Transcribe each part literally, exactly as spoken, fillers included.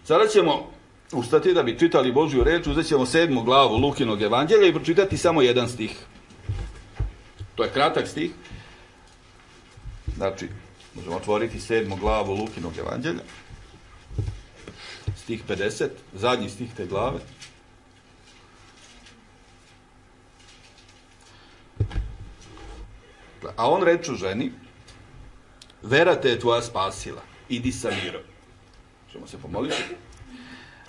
Sada ćemo ustati da bi čitali Božju reč, uzet ćemo sedmu glavu Lukinog evanđelja i pročitati samo jedan stih. To je kratak stih. Znači, možemo otvoriti sedmu glavu Lukinog evanđelja. Stih pedeset, zadnji stih te glave. A on reče ženi, vera te je tvoja spasila, idi sa mirom. Možemo se pomoliti.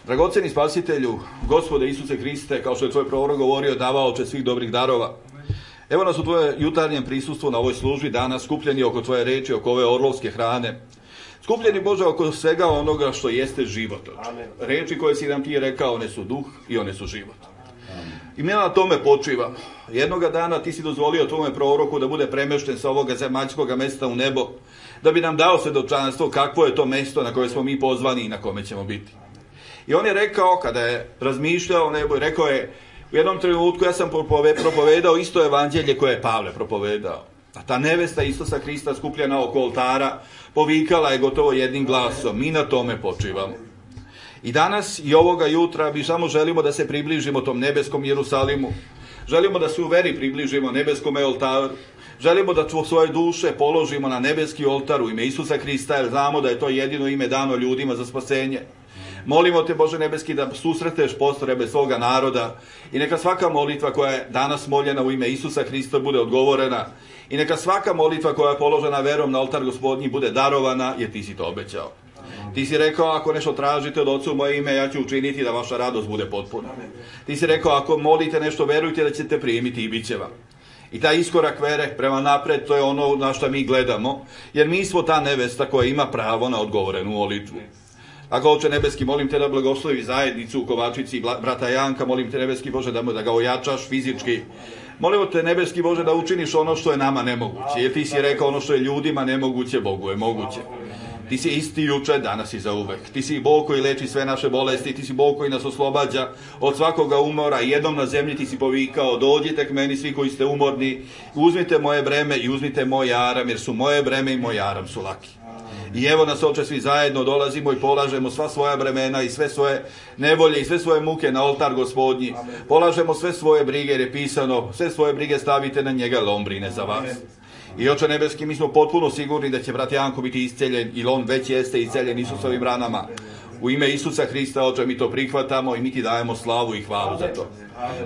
Dragoceni spasitelju, Gospode Isuse Hriste, kao što je tvoj prorok govorio, davaoče svih dobrih darova, evo nas u tvoje jutarnjem prisustvu na ovoj službi danas, skupljeni oko tvoje reči, oko ove orlovske hrane, skupljeni, Bože, oko svega onoga što jeste život. Reči koje si nam ti rekao, one su duh i one su život. I mi na tome počivamo. Jednoga dana ti si dozvolio tvome proroku da bude premešten sa ovoga zemaljskog mesta u nebo, da bi nam dao svedočanstvo kakvo je to mesto na koje smo mi pozvani i na kome ćemo biti. I on je rekao, kada je razmišljao o nebu, rekao je, u jednom trenutku ja sam propovedao isto evanđelje koje je Pavle propovedao. A ta nevesta Isusa Hrista skupljena oko oltara povikala je gotovo jednim glasom. Mi na tome počivamo. I danas i ovoga jutra mi samo želimo da se približimo tom nebeskom Jerusalimu. Želimo da se u veri približimo nebeskom oltaru. Želimo da svoje duše položimo na nebeski oltar u ime Isusa Hrista, jer znamo da je to jedino ime dano ljudima za spasenje. Molimo te, Bože nebeski, da susreteš postrebe svoga naroda i neka svaka molitva koja je danas moljena u ime Isusa Hrista bude odgovorena i neka svaka molitva koja je položena verom na oltar Gospodnji bude darovana, jer ti si to obećao. Ti si rekao, ako nešto tražite od Oca u moje ime, ja ću učiniti da vaša radost bude potpuna. Ti si rekao, ako molite nešto, verujte da ćete primiti i bit će vam. I taj iskorak vere prema napred, to je ono na što mi gledamo, jer mi smo ta nevesta koja ima pravo na odgovorenu molitvu. Ako, Oče nebeski, molim te da blagoslovi zajednicu u Kovačici, brata Janka, molim te nebeski, Bože, da, da ga ojačaš fizički. Molimo te nebeski, Bože, da učiniš ono što je nama nemoguće, jer ti si rekao ono što je ljudima nemoguće, Bogu je moguće. Ti si isti juče, danas i zauvek. Ti si Bog koji leči sve naše bolesti, ti si Bog koji nas oslobađa od svakoga umora. Jednom na zemlji ti si povikao, dođite k meni svi koji ste umorni, uzmite moje breme i uzmite moj aram, jer su moje breme i moj aram su laki. I evo nas, Oče, svi zajedno dolazimo i polažemo sva svoja bremena i sve svoje nevolje i sve svoje muke na oltar Gospodnji. Polažemo sve svoje brige, jer je pisano, sve svoje brige stavite na njega, jer on brine za vas. I, Oče nebeski, mi smo potpuno sigurni da će brat Janko biti isceljen, ili on već jeste isceljen Isusovim ranama. U ime Isusa Hrista, Oče, mi to prihvatamo i mi ti dajemo slavu i hvalu za to.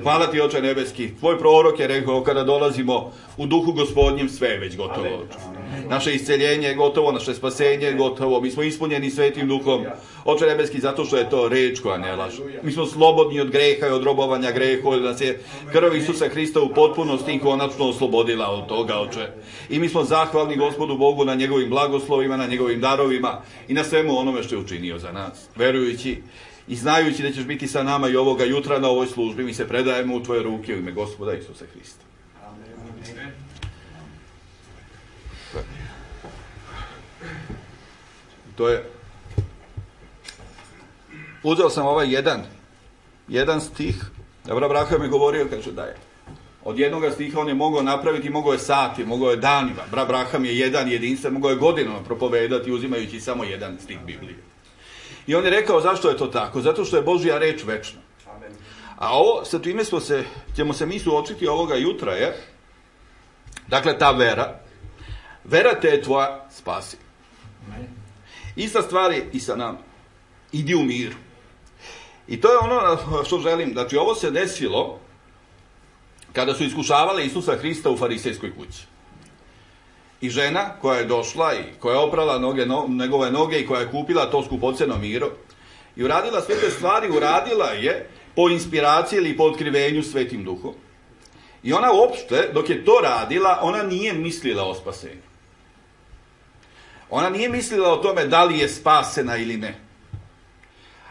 Hvala ti, Oče nebeski. Tvoj prorok je rekao, kada dolazimo u duhu Gospodnjem, sve je već gotovo, Oče. Naše isceljenje je gotovo, naše spasenje je gotovo. Mi smo ispunjeni Svetim Duhom, Oče nebeski, zato što je to reč koja ne laže. Mi smo slobodni od greha i od robovanja grehu, jer nas je krv Isusa Hrista u potpunosti i konačno oslobodila od toga, Oče. I mi smo zahvalni Gospodu Bogu na njegovim blagoslovima, na njegovim darovima i na svemu onome što je učinio za nas. Verujući i znajući da ćeš biti sa nama i ovoga jutra na ovoj službi, mi se predajemo u tvoje ruke u ime Gospoda Isusa Hrista. Amen. To je, uzeo sam ovaj jedan, jedan stih, Abraham je govorio, kaže da je, od jednoga stiha on je mogao napraviti, mogao je sati, mogao je danima, Abraham je jedan jedinstven, mogao je godinama propovedati uzimajući samo jedan stih Biblije. I on je rekao zašto je to tako, zato što je Božja reč večna. A ovo, sa čime smo se, ćemo se mi suočiti ovoga jutra je, dakle ta vera, vera te je tvoja spasi. Ista stvar je i sa nama. Idi u miru. I to je ono što želim. Znači, ovo se desilo kada su iskušavali Isusa Hrista u farisejskoj kući. I žena koja je došla i koja je oprala noge, no, njegove noge i koja je kupila to skupoceno miro i uradila sve te stvari, uradila je po inspiraciji ili po otkrivenju Svetim Duhom. I ona uopšte, dok je to radila, ona nije mislila o spasenju. Ona nije mislila o tome da li je spasena ili ne.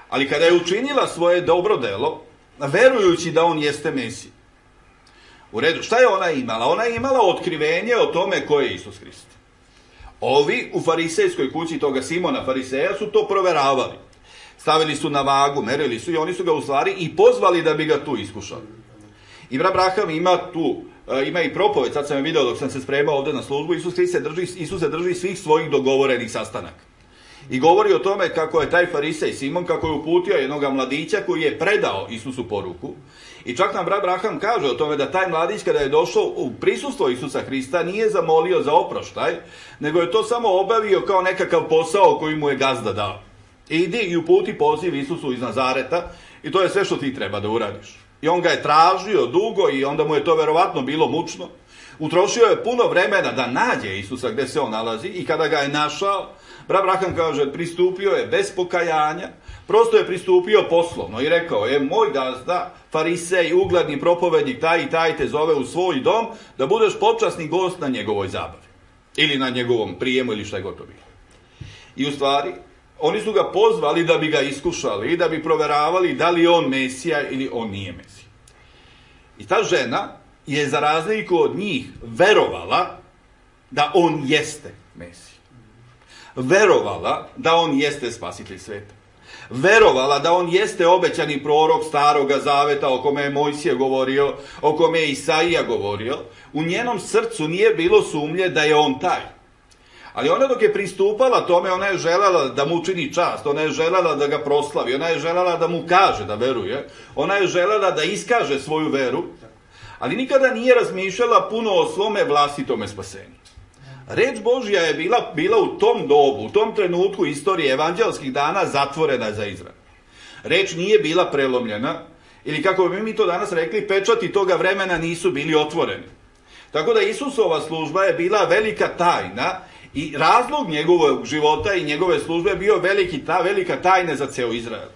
Ali kada je učinila svoje dobro delo, verujući da on jeste Mesija. U redu, šta je ona imala? Ona je imala otkrivenje o tome ko je Isus Hrist. Ovi u farisejskoj kući toga Simona Fariseja su to proveravali. Stavili su na vagu, merili su i oni su ga u stvari i pozvali da bi ga tu iskušali. I Abraham ima tu, ima i propoved, sad sam je video dok sam se spremao ovdje na službu, Isus Hrist se drži, Isus se drži svih svojih dogovorenih sastanaka. I govori o tome kako je taj farisej Simon, kako je uputio jednoga mladića koji je predao Isusu poruku. I čak nam brat Braham kaže o tome da taj mladić kada je došao u prisustvo Isusa Hrista nije zamolio za oproštaj, nego je to samo obavio kao nekakav posao koji mu je gazda dao. Idi i uputi poziv Isusu iz Nazareta i to je sve što ti treba da uradiš. I on ga je tražio dugo i onda mu je to verovatno bilo mučno. Utrošio je puno vremena da nađe Isusa gde se on nalazi i kada ga je našao, brat Braham kaže, pristupio je bez pokajanja, prosto je pristupio poslovno i rekao je, moj gazda, farisej, ugledni propovednik, taj i taj te zove u svoj dom da budeš počasni gost na njegovoj zabavi. Ili na njegovom prijemu ili šta je gotovo bilo. I u stvari, oni su ga pozvali da bi ga iskušali i da bi proveravali da li je on Mesija ili on nije Mesija. I ta žena je za razliku od njih verovala da on jeste Mesija. Verovala da on jeste spasitelj sveta. Verovala da on jeste obećani prorok Staroga Zaveta o kome je Mojsije govorio, o kome je Isaija govorio. U njenom srcu nije bilo sumnje da je on taj. Ali ona dok je pristupala tome, ona je željela da mu učini čast, ona je željela da ga proslavi, ona je željela da mu kaže da veruje, ona je željela da iskaže svoju veru, ali nikada nije razmišljala puno o svome vlastitome spasenju. Reč Božja je bila, bila u tom dobu, u tom trenutku istorije evanđelskih dana zatvorena za Izrael. Reč nije bila prelomljena, ili kako bi mi to danas rekli, pečati toga vremena nisu bili otvoreni. Tako da Isusova služba je bila velika tajna i razlog njegovog života i njegove službe je bio veliki, ta velika tajna za ceo Izrael.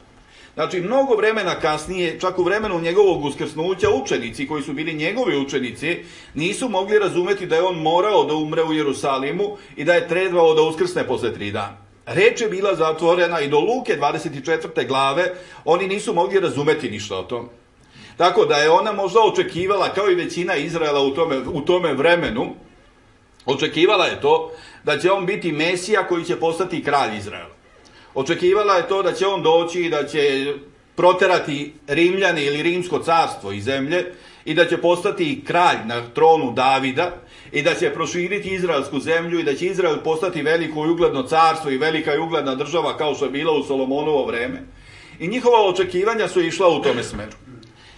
Znači, mnogo vremena kasnije, čak u vremenu njegovog uskrsnuća, učenici koji su bili njegovi učenici, nisu mogli razumeti da je on morao da umre u Jerusalimu i da je trebao da uskrsne posle tri dana. Reč je bila zatvorena i do Luke dvadeset četvrte glave oni nisu mogli razumeti ništa o tome. Tako da je ona možda očekivala, kao i većina Izraela u tome, u tome vremenu, očekivala je to da će on biti Mesija koji će postati kralj Izraela. Očekivala je to da će on doći i da će proterati Rimljane ili Rimsko carstvo iz zemlje i da će postati kralj na tronu Davida i da će proširiti izraelsku zemlju i da će Izrael postati veliko i ugledno carstvo i velika i ugledna država kao što je bila u Solomonovo vreme. I njihova očekivanja su išla u tome smeru.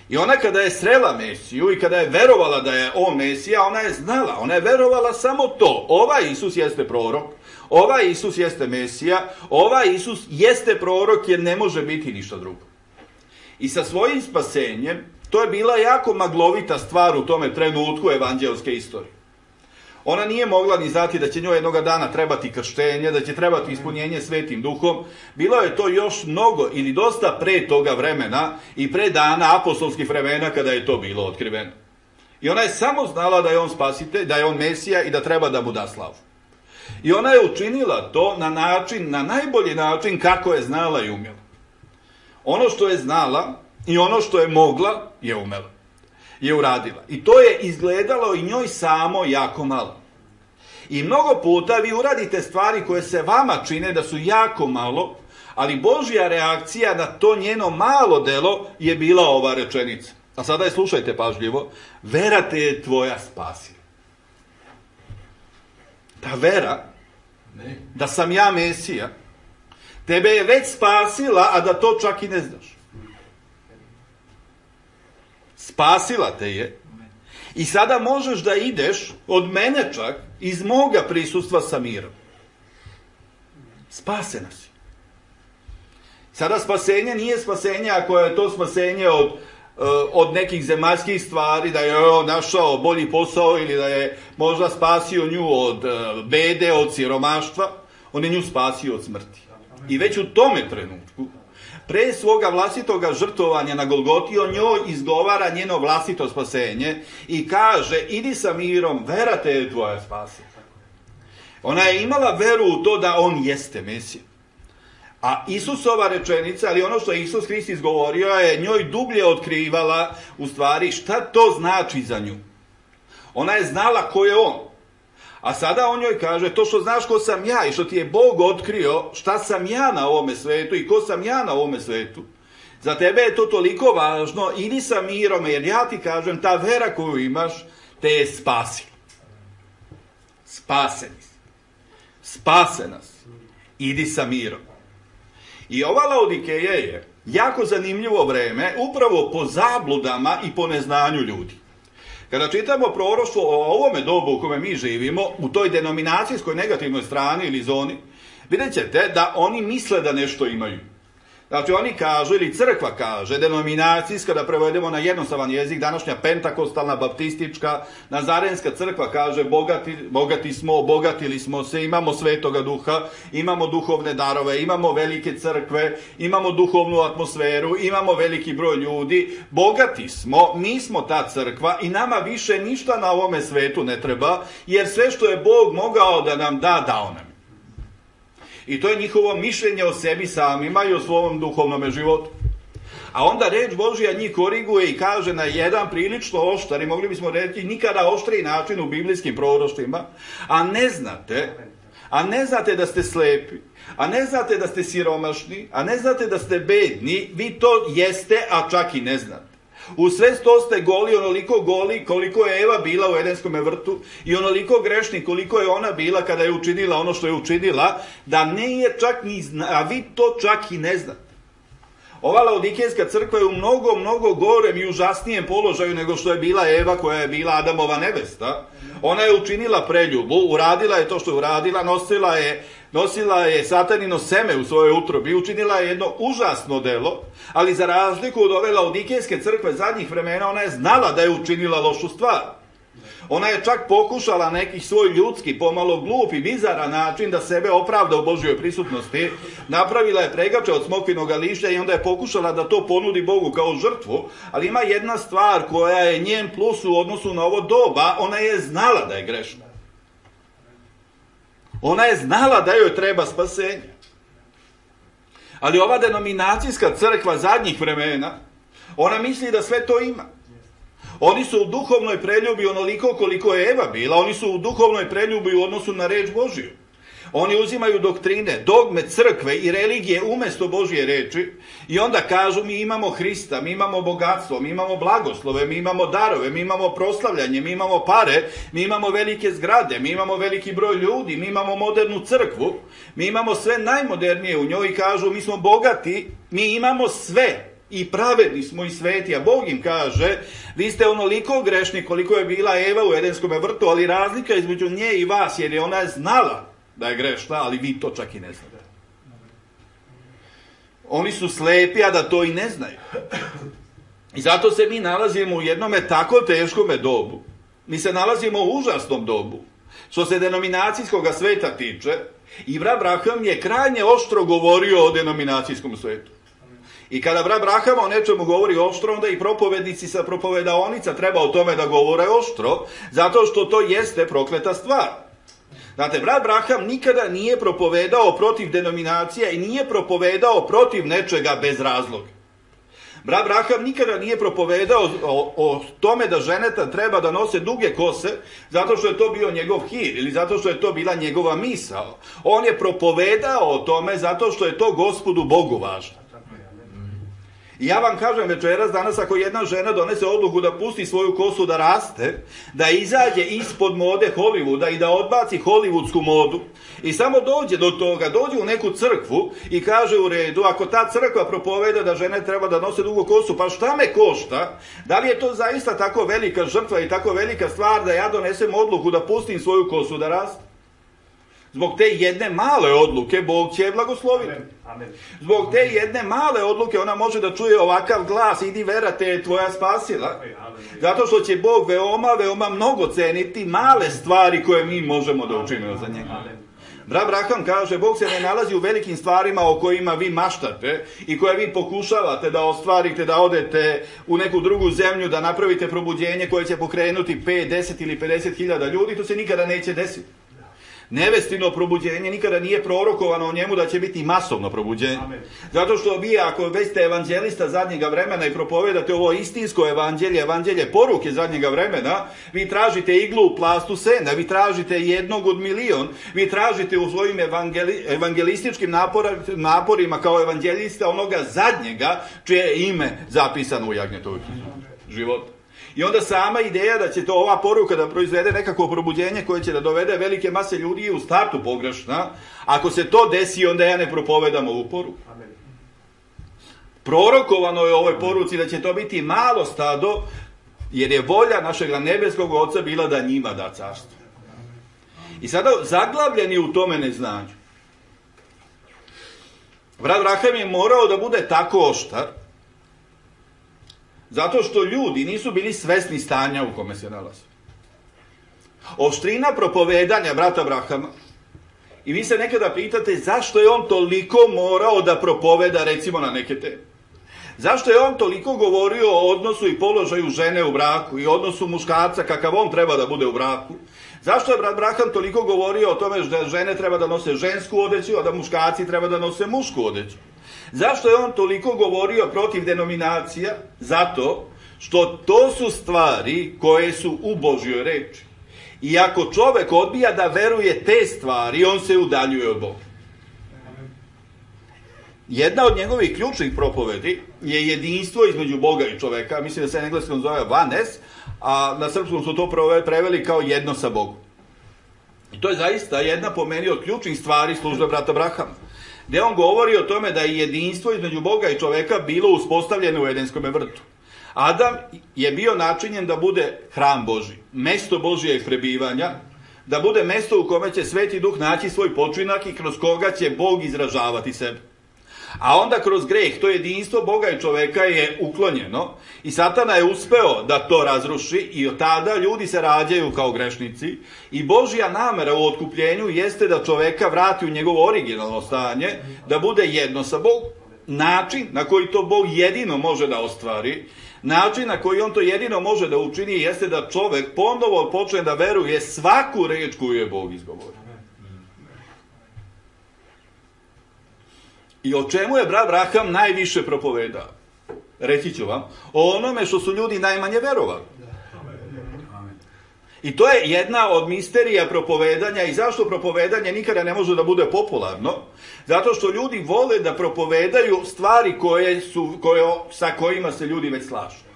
I ona kada je srela Mesiju i kada je verovala da je on Mesija, ona je znala, ona je verovala samo to. Ovaj Isus jeste prorok, ovaj Isus jeste Mesija, ovaj Isus jeste prorok jer ne može biti ništa drugo. I sa svojim spasenjem, to je bila jako maglovita stvar u tome trenutku evanđelske istorije. Ona nije mogla ni znati da će njoj jednoga dana trebati krštenje, da će trebati ispunjenje Svetim Duhom. Bilo je to još mnogo ili dosta pre toga vremena i pre dana apostolskih vremena kada je to bilo otkriveno. I ona je samo znala da je on spasitelj, da je on Mesija i da treba da mu da slavu. I ona je učinila to na način, na najbolji način kako je znala i umjela. Ono što je znala i ono što je mogla je umela. Je uradila. I to je izgledalo i njoj samo jako malo. I mnogo puta vi uradite stvari koje se vama čine da su jako malo, ali Božja reakcija na to njeno malo delo je bila ova rečenica. A sada je slušajte pažljivo. Vera te je tvoja spasila. Ta vera, da sam ja Mesija, tebe je već spasila, a da to čak i ne znaš. Spasila te je i sada možeš da ideš od mene čak iz moga prisustva sa mirom. Spasena si. Sada spasenje nije spasenje ako je to spasenje od, od nekih zemaljskih stvari, da je on našao bolji posao ili da je možda spasio nju od bede, od siromaštva. On je nju spasio od smrti. I već u tome trenutku, pre svoga vlastitoga žrtvovanja na Golgoti, on njoj izgovara njeno vlastito spasenje i kaže, idi sa mirom, vera te je tvoja spasila. Ona je imala veru u to da on jeste Mesija. A Isusova rečenica, ali ono što je Isus Hrist izgovorio, je njoj dublje otkrivala u stvari šta to znači za nju. Ona je znala ko je on. A sada on njoj kaže, to što znaš ko sam ja i što ti je Bog otkrio šta sam ja na ovome svetu i ko sam ja na ovome svetu, za tebe je to toliko važno, idi sa mirom, jer ja ti kažem, ta vera koju imaš te je spasila. Spaseni si. Spasena si. idi sa mirom. I ova Laodikeja je jako zanimljivo vreme upravo po zabludama i po neznanju ljudi. Kada čitamo proroštvo o ovome dobu u kome mi živimo, u toj denominacijskoj negativnoj strani ili zoni, vidjet ćete da oni misle da nešto imaju. Znači oni kažu, ili crkva kaže, denominacijska, da prevedemo na jednostavan jezik, današnja pentakostalna, baptistička, nazarenska crkva kaže, bogati, bogati smo, obogatili smo se, imamo svetoga duha, imamo duhovne darove, imamo velike crkve, imamo duhovnu atmosferu, imamo veliki broj ljudi, bogati smo, mi smo ta crkva i nama više ništa na ovome svetu ne treba, jer sve što je Bog mogao da nam da, dao nam. I to je njihovo mišljenje o sebi samima i o svom duhovnom životu. A onda reč Božja njih koriguje i kaže na jedan prilično oštar, i mogli bismo reći nikada oštriji način u biblijskim proroštvima, a ne znate, a ne znate da ste slepi, a ne znate da ste siromašni, a ne znate da ste bedni, vi to jeste, a čak i ne znate. U sve sto ste goli, onoliko goli koliko je Eva bila u Edenskom vrtu i onoliko grešni koliko je ona bila kada je učinila ono što je učinila, da ne je čak ni zna, a vi to čak i ne znate. Ova Laodikejska crkva je u mnogo, mnogo gorem i užasnijem položaju nego što je bila Eva koja je bila Adamova nevesta. Ona je učinila preljubu, uradila je to što je uradila, nosila je, nosila je satanino seme u svojoj utrobi, učinila je jedno užasno delo, ali za razliku od ove Laodikejske crkve zadnjih vremena, ona je znala da je učinila lošu stvar. Ona je čak pokušala neki svoj ljudski, pomalo glup i bizaran način da sebe opravda u Božjoj prisutnosti. Napravila je pregače od smokvinog lišća i onda je pokušala da to ponudi Bogu kao žrtvu, ali ima jedna stvar koja je njen plus u odnosu na ovo doba, ona je znala da je grešna. Ona je znala da joj treba spasenje. Ali ova denominacijska crkva zadnjih vremena, ona misli da sve to ima. Oni su u duhovnoj preljubi onoliko koliko je Eva bila, oni su u duhovnoj preljubi u odnosu na reč Božiju. Oni uzimaju doktrine, dogme crkve i religije umjesto Božje reči i onda kažu mi imamo Hrista, mi imamo bogatstvo, mi imamo blagoslove, mi imamo darove, mi imamo proslavljanje, mi imamo pare, mi imamo velike zgrade, mi imamo veliki broj ljudi, mi imamo modernu crkvu, mi imamo sve najmodernije u njoj i kažu mi smo bogati, mi imamo sve. I pravedni smo i sveti, a Bog im kaže, vi ste onoliko grešni koliko je bila Eva u Edenskom vrtu, ali razlika između nje i vas, jer je ona znala da je grešna, ali vi to čak i ne znate. Oni su slepi, a da to i ne znaju. I zato se mi nalazimo u jednome tako teškome dobu. Mi se nalazimo u užasnom dobu. Što se denominacijskog sveta tiče, i brat Braham je krajnje oštro govorio o denominacijskom svetu. I kada brat Braham o nečemu govori oštro, onda i propovednici sa propovedaonica treba o tome da govore oštro, zato što to jeste prokleta stvar. Znate, brat Braham nikada nije propovedao protiv denominacija i nije propovedao protiv nečega bez razloga. Brat Braham nikada nije propovedao o, o tome da ženeta treba da nose duge kose, zato što je to bio njegov hir ili zato što je to bila njegova misao. On je propovedao o tome zato što je to Gospodu Bogu važno. I ja vam kažem večeras, danas ako jedna žena donese odluku da pusti svoju kosu da raste, da izađe ispod mode Hollywooda i da odbaci hollywoodsku modu i samo dođe do toga, dođe u neku crkvu i kaže u redu, ako ta crkva propoveda da žene treba da nose dugu kosu, pa šta me košta? Da li je to zaista tako velika žrtva i tako velika stvar da ja donesem odluku da pustim svoju kosu da raste? Zbog te jedne male odluke Bog će je blagosloviti. Amen. Zbog te jedne male odluke ona može da čuje ovakav glas, idi vera, te je tvoja spasila. Zato što će Bog veoma, veoma mnogo ceniti male stvari koje mi možemo da učinimo za njega. Brat Braham kaže, Bog se ne nalazi u velikim stvarima o kojima vi maštate i koje vi pokušavate da ostvarite, da odete u neku drugu zemlju, da napravite probuđenje koje će pokrenuti pet, deset ili pedeset hiljada ljudi, to se nikada neće desiti. Nevestino probuđenje nikada nije prorokovano o njemu da će biti masovno probuđenje. Amen. Zato što vi, ako već ste evanđelista zadnjega vremena i propovedate ovo istinsko evanđelje, evanđelje poruke zadnjega vremena, vi tražite iglu u plastu sena, vi tražite jednog od milion, vi tražite u svojim evangeli, evangelističkim napora, naporima kao evanđelista onoga zadnjega čije je ime zapisano u jagnjetovoj knjizi života. I onda sama ideja da će to ova poruka da proizvede nekako probuđenje koje će da dovede velike mase ljudi je u startu pogrešna. Ako se to desi, onda ja ne propovedam ovu poruku. Prorokovano je u ovoj poruci da će to biti malo stado, jer je volja našeg nebeskog Oca bila da njima da carstvo. I sada zaglavljeni u tome neznanju. Brat Braham je morao da bude tako oštar, zato što ljudi nisu bili svesni stanja u kome se nalaze. Oštrina propovedanja brata Brahama, i vi se nekada pitate zašto je on toliko morao da propoveda recimo na neke teme. Zašto je on toliko govorio o odnosu i položaju žene u braku i odnosu muškarca kakav on treba da bude u braku? Zašto je brat Braham toliko govorio o tome da žene treba da nose žensku odeću, a da muškarci treba da nose mušku odeću? Zašto je on toliko govorio protiv denominacija? Zato što to su stvari koje su u Božjoj reči. I ako čovek odbija da veruje te stvari, on se udaljuje od Boga. Jedna od njegovih ključnih propovedi je jedinstvo između Boga i čoveka. Mislim da se na engleskom zove oneness, a na srpskom su to preveli kao jedno sa Bogom. I to je zaista jedna po meni od ključnih stvari službe brata Brahama, gde on govori o tome da je jedinstvo između Boga i čoveka bilo uspostavljeno u Edenskom vrtu. Adam je bio načinjen da bude hram Božji, mesto Božijeg prebivanja, da bude mesto u kome će Sveti Duh naći svoj počinak i kroz koga će Bog izražavati sebe. A onda kroz greh to jedinstvo Boga i čoveka je uklonjeno i Satana je uspeo da to razruši i od tada ljudi se rađaju kao grešnici i Božja namera u otkupljenju jeste da čoveka vrati u njegovo originalno stanje, da bude jedno sa Bogom. Način na koji to Bog jedino može da ostvari, način na koji on to jedino može da učini jeste da čovek ponovo počne da veruje svaku reč koju je Bog izgovorio. I o čemu je brat Braham najviše propovedao? Reći ću vam, o onome što su ljudi najmanje verovali. I to je jedna od misterija propovedanja. I zašto propovedanje nikada ne može da bude popularno? Zato što ljudi vole da propovedaju stvari koje su, koje, sa kojima se ljudi već slažu.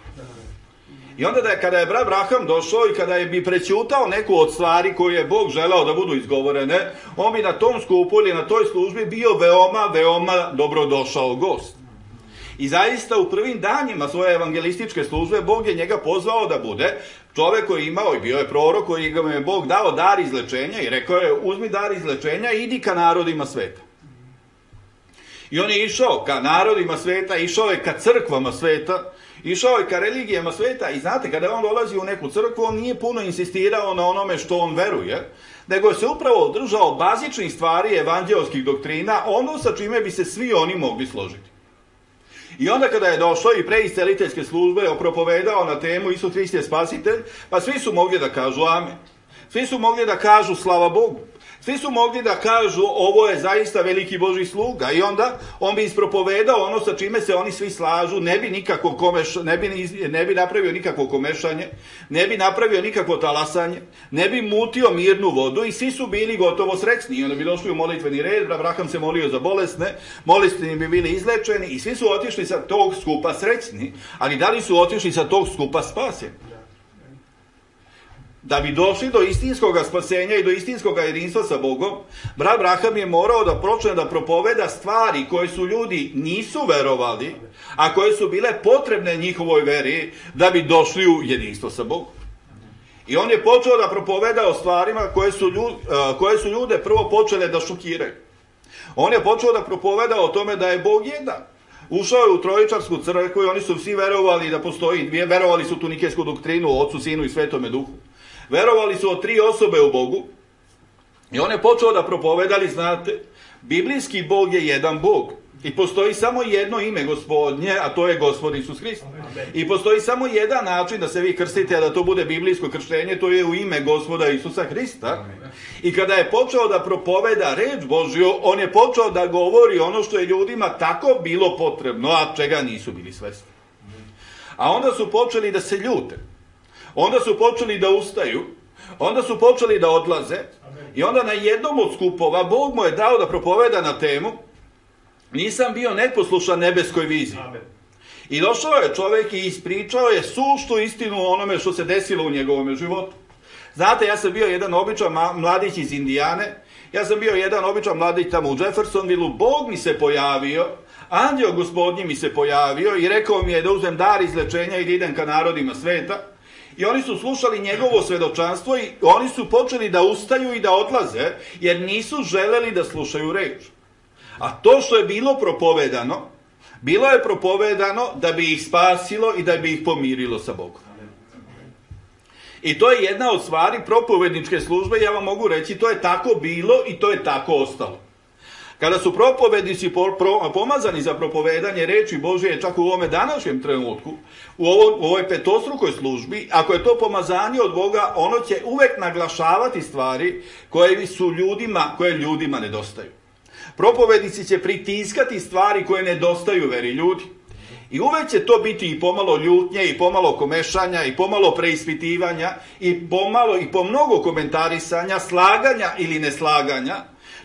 I onda da je, kada je brat Braham došao i kada je bi prećutao neku od stvari koje je Bog želao da budu izgovorene, on bi na tom skupu ili na toj službi bio veoma, veoma dobrodošao gost. I zaista u prvim danjima svoje evangelističke službe Bog je njega pozvao da bude čovek koji je imao i bio je prorok koji ga je Bog dao dar izlečenja i rekao je uzmi dar izlečenja i idi ka narodima sveta. I on je išao ka narodima sveta, išao je ka crkvama sveta, išao je ka religijama sveta i znate, kada je on dolazi u neku crkvu, on nije puno insistirao na onome što on veruje, nego je se upravo držao bazičnih stvari evanđelskih doktrina, ono sa čime bi se svi oni mogli složiti. I onda kada je došao i pre isceliteljske službe propovedao na temu Isus Hrist je spasitelj, pa svi su mogli da kažu amen. Svi su mogli da kažu slava Bogu. Svi su mogli da kažu ovo je zaista veliki Božji sluga i onda on bi ispropovedao ono sa čime se oni svi slažu, ne bi, nikako komeš, ne bi, ne bi napravio nikakvo komešanje, ne bi napravio nikakvo talasanje, ne bi mutio mirnu vodu i svi su bili gotovo srećni. I onda bi došli u molitveni red, Abraham se molio za bolesne, bolesni bi bili izlečeni i svi su otišli sa tog skupa srećni, ali da li su otišli sa tog skupa spaseni? Da bi došli do istinskog spasenja i do istinskog jedinstva sa Bogom, brat Braham je morao da počne da propoveda stvari koje su ljudi nisu verovali, a koje su bile potrebne njihovoj veri da bi došli u jedinstvo sa Bogom. I on je počeo da propoveda o stvarima koje su, ljude, koje su ljude prvo počele da šokiraju. On je počeo da propoveda o tome da je Bog jedan. Ušao je u Trojičarsku crkvu i oni su svi verovali da postoji, verovali su tu nikejsku doktrinu o Otcu, Sinu i Svetome Duhu. Verovali su o tri osobe u Bogu i on je počeo da propovedali, znate, biblijski Bog je jedan Bog i postoji samo jedno ime Gospodnje, a to je Gospod Isus Hrist. I postoji samo jedan način da se vi krstite, a da to bude biblijsko krštenje, to je u ime Gospoda Isusa Hrista. I kada je počeo da propoveda reč Božju, on je počeo da govori ono što je ljudima tako bilo potrebno, a čega nisu bili svesni. A onda su počeli da se ljute. Onda su počeli da ustaju, onda su počeli da odlaze i onda na jednom od skupova Bog mu je dao da propoveda na temu nisam bio neposlušan nebeskoj viziji. I došao je čovjek i ispričao je suštu istinu o onome što se desilo u njegovom životu. Znate, ja sam bio jedan običan mladić iz Indijane, ja sam bio jedan običan mladić tamo u Jeffersonvilleu, Bog mi se pojavio, anđeo gospodnji mi se pojavio i rekao mi je da uzem dar izlečenja i da idem ka narodima sveta. I oni su slušali njegovo svedočanstvo i oni su počeli da ustaju i da odlaze, jer nisu želeli da slušaju reč. A to što je bilo propovedano, bilo je propovedano da bi ih spasilo i da bi ih pomirilo sa Bogom. I to je jedna od stvari propovedničke službe, ja vam mogu reći, to je tako bilo i to je tako ostalo. Kada su propovednici pomazani za propovedanje reči Božje, čak u ovome današnjem trenutku, u, ovo, u ovoj petostrukoj službi, ako je to pomazanje od Boga, ono će uvek naglašavati stvari koje su ljudima, koje ljudima nedostaju. Propovednici će pritiskati stvari koje nedostaju veri ljudi. I uvek će to biti i pomalo ljutnje, i pomalo komešanja, i pomalo preispitivanja, i pomalo i po mnogo komentarisanja, slaganja ili neslaganja.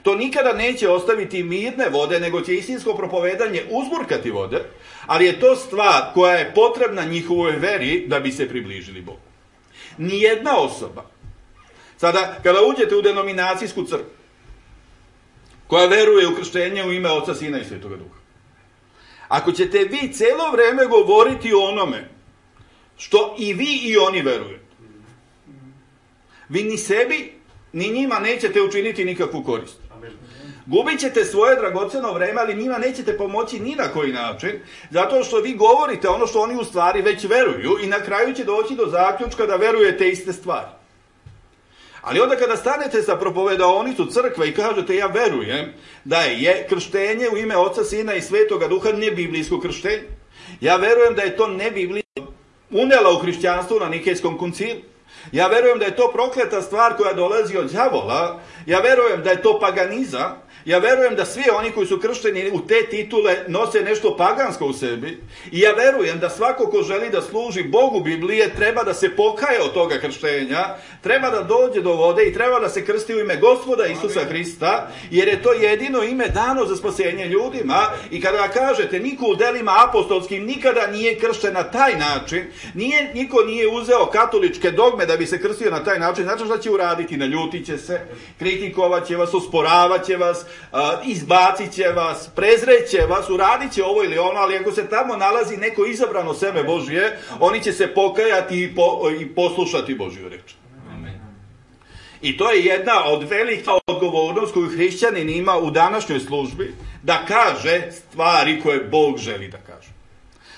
To nikada neće ostaviti mirne vode, nego će istinsko propovedanje uzburkati vode, ali je to stvar koja je potrebna njihovoj veri da bi se približili Bogu. Nijedna osoba, sada kada uđete u denominacijsku crkvu, koja veruje u krštenje u ime Oca, Sina i Svetoga Duha, ako ćete vi celo vreme govoriti o onome što i vi i oni verujete, vi ni sebi, ni njima nećete učiniti nikakvu korist. Gubit ćete svoje dragoceno vreme, ali njima nećete pomoći ni na koji način, zato što vi govorite ono što oni u stvari već veruju i na kraju će doći do zaključka da verujete iste stvari. Ali onda kada stanete sa propovedaonicu crkve i kažete ja verujem da je krštenje u ime Oca, Sina i Svetoga Duha nebiblijsko krštenje, ja verujem da je to nebiblijsko unela u hrišćanstvo na Nikejskom koncilu, ja verujem da je to prokleta stvar koja dolazi od đavola, ja verujem da je to paganizam, ja verujem da svi oni koji su kršteni u te titule nose nešto pagansko u sebi i ja verujem da svako ko želi da služi Bogu Biblije treba da se pokaje od toga krštenja, treba da dođe do vode i treba da se krsti u ime Gospoda Isusa Hrista, jer je to jedino ime dano za spasenje ljudima. I kada kažete niko u delima apostolskim nikada nije kršten na taj način, nije, niko nije uzeo katoličke dogme da bi se krstio na taj način, znači šta će uraditi? Naljutit će se, kritikovat će vas, osporavat će vas, izbacit će vas, prezreće vas, uradit će ovo ili ono, ali ako se tamo nalazi neko izabrano seme Božje, oni će se pokajati i, po, i poslušati Božju reč. Amen. I to je jedna od velika odgovornost koju hrišćanin ima u današnjoj službi, da kaže stvari koje Bog želi da kaže.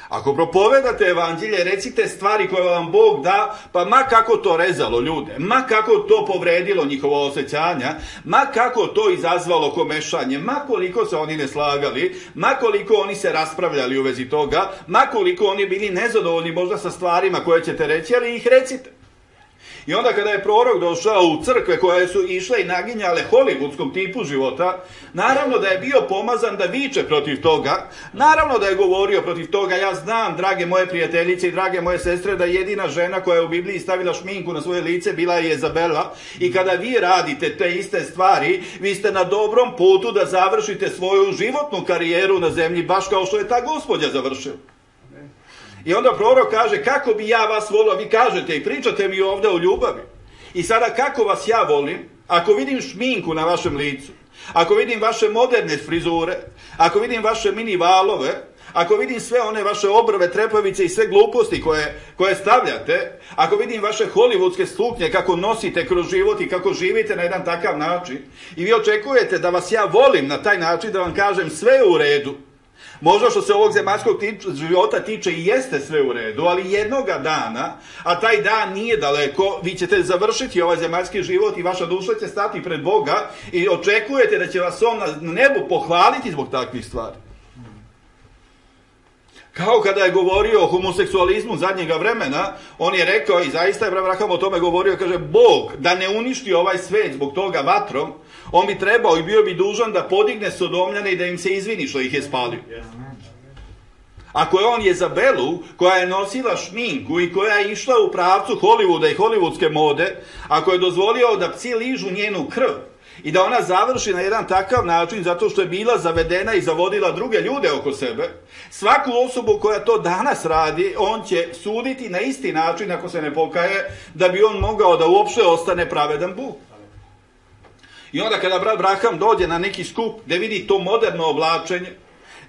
Ako propovedate evanđelje, recite stvari koje vam Bog da, pa ma kako to rezalo ljude, ma kako to povredilo njihova osjećanja, ma kako to izazvalo komešanje, ma koliko se oni ne slagali, ma koliko oni se raspravljali u vezi toga, ma koliko oni bili nezadovoljni možda sa stvarima koje ćete reći, ali ih recite. I onda kada je prorok došao u crkve koje su išle i naginjale hollywoodskom tipu života, naravno da je bio pomazan da viče protiv toga, naravno da je govorio protiv toga. Ja znam, drage moje prijateljice i drage moje sestre, da jedina žena koja je u Bibliji stavila šminku na svoje lice bila je Jezabela, i kada vi radite te iste stvari, vi ste na dobrom putu da završite svoju životnu karijeru na zemlji, baš kao što je ta gospođa završila. I onda prorok kaže, kako bi ja vas volio, vi kažete i pričate mi ovdje o ljubavi. I sada kako vas ja volim, ako vidim šminku na vašem licu, ako vidim vaše moderne frizure, ako vidim vaše mini valove, ako vidim sve one vaše obrve, trepavice i sve gluposti koje, koje stavljate, ako vidim vaše hollywoodske suknje kako nosite kroz život i kako živite na jedan takav način, i vi očekujete da vas ja volim na taj način, da vam kažem sve je u redu, možda što se ovog zemaljskog života tiče i jeste sve u redu, ali jednoga dana, a taj dan nije daleko, vi ćete završiti ovaj zemaljski život i vaša duša će stati pred Boga i očekujete da će vas on na nebu pohvaliti zbog takvih stvari. Kao kada je govorio o homoseksualizmu zadnjega vremena, on je rekao, i zaista je Abraham o tome govorio, kaže, Bog da ne uništi ovaj svet zbog toga vatrom, on bi trebao i bio bi dužan da podigne Sodomljane i da im se izvini što ih je spalio. Ako je on Jezabelu, koja je nosila šminku i koja je išla u pravcu Hollywooda i hollywoodske mode, ako je dozvolio da psi ližu njenu krv I da ona završi na jedan takav način zato što je bila zavedena i zavodila druge ljude oko sebe. Svaku osobu koja to danas radi, on će suditi na isti način ako se ne pokaje, da bi on mogao da uopšte ostane pravedan Bog. I onda kada brat Braham dođe na neki skup gde vidi to moderno oblačenje,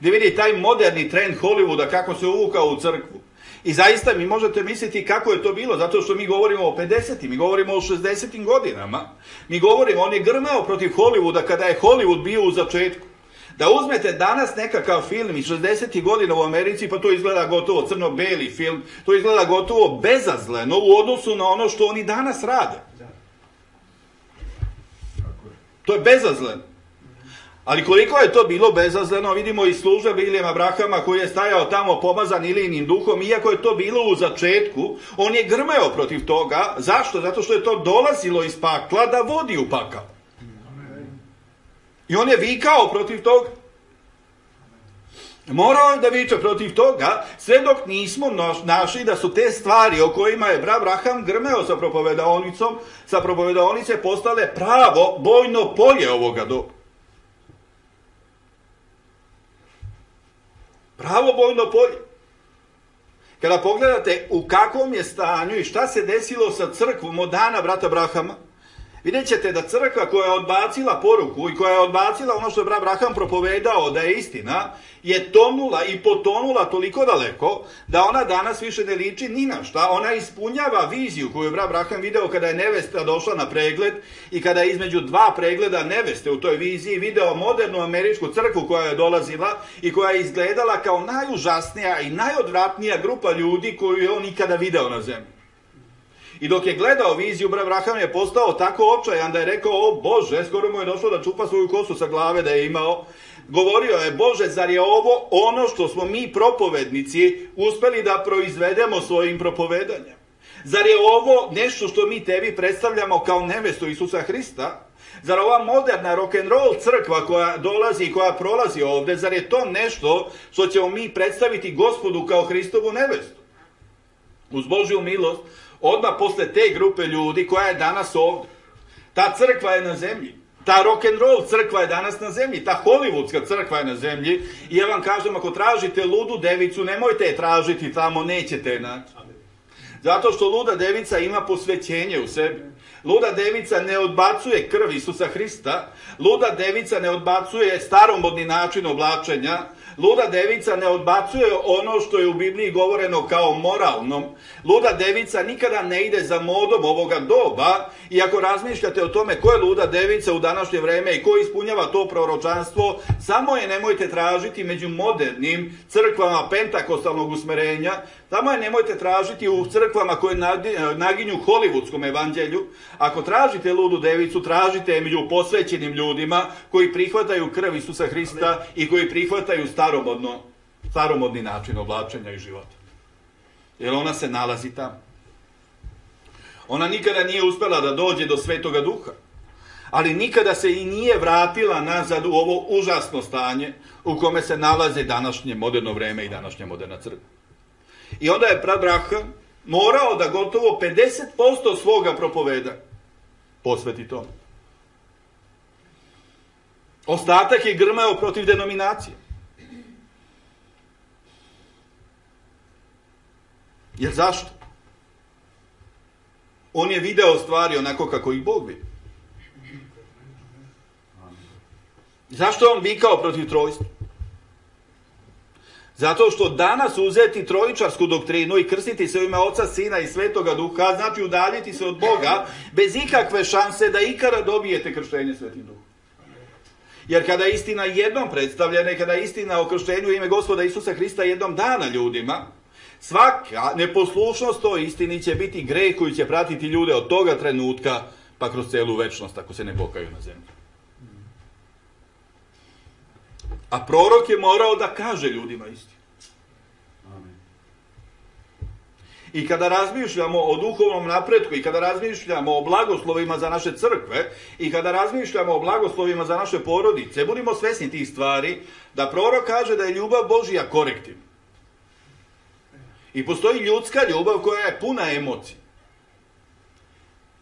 gde vidi taj moderni trend Hollywooda kako se uvukao u crkvu, i zaista mi možete misliti kako je to bilo, zato što mi govorimo o pedesetim, mi govorimo o šezdesetim godinama, mi govorimo, on je grmeo protiv Hollywooda kada je Hollywood bio u začetku. Da uzmete danas nekakav film iz šezdesetih godina u Americi, pa to izgleda gotovo crno-beli film, to izgleda gotovo bezazleno u odnosu na ono što oni danas rade. To je bezazleno. Ali koliko je to bilo bezazleno, vidimo iz službe Bilijama Brahama koji je stajao tamo pomazan Ilijinim duhom, iako je to bilo u začetku, on je grmeo protiv toga. Zašto? Zato što je to dolazilo iz pakla da vodi u pakao. I on je vikao protiv toga. Morao je da viče protiv toga, sve dok nismo našli da su te stvari o kojima je brat Braham grmeo sa propovedaonicom, sa propovedaonice postale pravo bojno polje ovoga doba. Pravo bojno polje. Kada pogledate u kakvom je stanju i šta se desilo sa crkvom od dana brata Brahama, vidjet ćete da crkva koja je odbacila poruku i koja je odbacila ono što je brat Braham propovedao da je istina, je tonula i potonula toliko daleko da ona danas više ne liči ni na šta. Ona ispunjava viziju koju je brat Braham video kada je nevesta došla na pregled i kada je između dva pregleda neveste u toj viziji video modernu američku crkvu koja je dolazila i koja je izgledala kao najužasnija i najodvratnija grupa ljudi koju je on ikada video na zemlji. I dok je gledao viziju, brat Braham je postao tako očajan da je rekao, o Bože, skoro mu je došlo da čupa svoju kosu sa glave da je imao. Govorio je, Bože, zar je ovo ono što smo mi propovednici uspeli da proizvedemo svojim propovedanjem? Zar je ovo nešto što mi tebi predstavljamo kao nevestu Isusa Hrista? Zar ova moderna rock'n'roll crkva koja dolazi i koja prolazi ovde, zar je to nešto što ćemo mi predstaviti Gospodu kao Hristovu nevestu? Uz Božju milost, odmah posle te grupe ljudi koja je danas ovde, ta crkva je na zemlji, ta rock'n'roll crkva je danas na zemlji, ta hollywoodska crkva je na zemlji i ja vam kažem, ako tražite ludu devicu, nemojte je tražiti tamo, nećete je naći. Zato što luda devica ima posvećenje u sebi. Luda devica ne odbacuje krv Isusa Hrista, luda devica ne odbacuje staromodni način oblačenja, luda devica ne odbacuje ono što je u Bibliji govoreno kao moralnom. Luda devica nikada ne ide za modom ovoga doba i ako razmišljate o tome ko je luda devica u današnje vreme i ko ispunjava to proročanstvo, samo je nemojte tražiti među modernim crkvama pentakostalnog usmerenja, samo je nemojte tražiti u crkvama koje naginju hollywoodskom evanđelju. Ako tražite ludu devicu, tražite je među posvećenim ljudima koji prihvataju krv Isusa Hrista i koji prihvataju staromodno, staromodni način oblačenja i života. Jer ona se nalazi tamo. Ona nikada nije uspela da dođe do Svetoga Duha, ali nikada se i nije vratila nazad u ovo užasno stanje u kome se nalaze današnje moderno vreme i današnja moderna crkva. I onda je brat Braham morao da gotovo pedeset posto svoga propoveda posveti tome. Ostatak je grmeo protiv denominacije. Jer zašto? On je video stvari onako kako ih Bog vidi. Zašto je on vikao protiv trojstva? Zato što danas uzeti trojičarsku doktrinu i krstiti se u ime Oca, Sina i Svetoga Duha, znači udaljiti se od Boga bez ikakve šanse da ikada dobijete krštenje Svetim Duhom. Jer kada je istina jednom predstavljena i kada je istina o krštenju u ime Gospoda Isusa Hrista jednom dana ljudima, svaka neposlušnost toj istini će biti greh koji će pratiti ljude od toga trenutka pa kroz celu večnost ako se ne pokaju na zemlji. A prorok je morao da kaže ljudima istinu. I kada razmišljamo o duhovnom napretku i kada razmišljamo o blagoslovima za naše crkve i kada razmišljamo o blagoslovima za naše porodice, budimo svesni tih stvari da prorok kaže da je ljubav Božija korektivna. I postoji ljudska ljubav koja je puna emocija.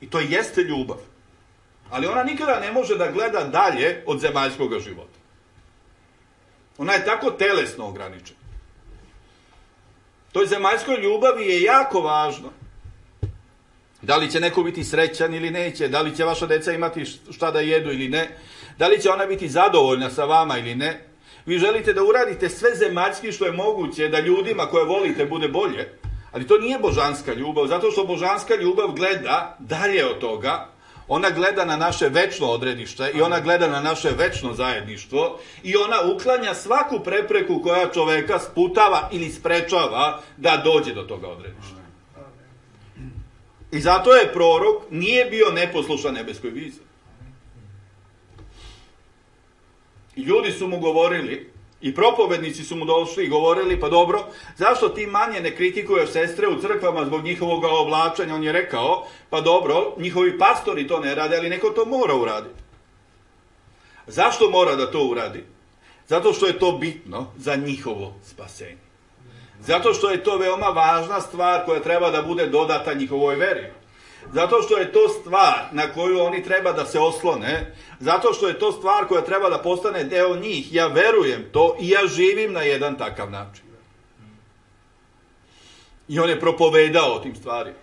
I to jeste ljubav. Ali ona nikada ne može da gleda dalje od zemaljskog života. Ona je tako telesno ograničena. Toj zemaljskoj ljubavi je jako važno da li će neko biti srećan ili neće, da li će vaša deca imati šta da jedu ili ne, da li će ona biti zadovoljna sa vama ili ne. Vi želite da uradite sve zemaljski što je moguće da ljudima koje volite bude bolje, ali to nije božanska ljubav, zato što božanska ljubav gleda dalje od toga. Ona gleda na naše večno odredište i ona gleda na naše večno zajedništvo i ona uklanja svaku prepreku koja čoveka sputava ili sprečava da dođe do toga odredišta. I zato je prorok nije bio neposlušan nebeskoj viziji. I ljudi su mu govorili, i propovednici su mu došli i govorili, pa dobro, zašto ti manje ne kritikuješ sestre u crkvama zbog njihovog oblačenja? On je rekao, pa dobro, njihovi pastori to ne rade, ali neko to mora uraditi. Zašto mora da to uradi? Zato što je to bitno za njihovo spasenje. Zato što je to veoma važna stvar koja treba da bude dodata njihovoj veri. Zato što je to stvar na koju oni treba da se oslone. Zato što je to stvar koja treba da postane deo njih. Ja verujem to i ja živim na jedan takav način. I on je propovedao o tim stvarima.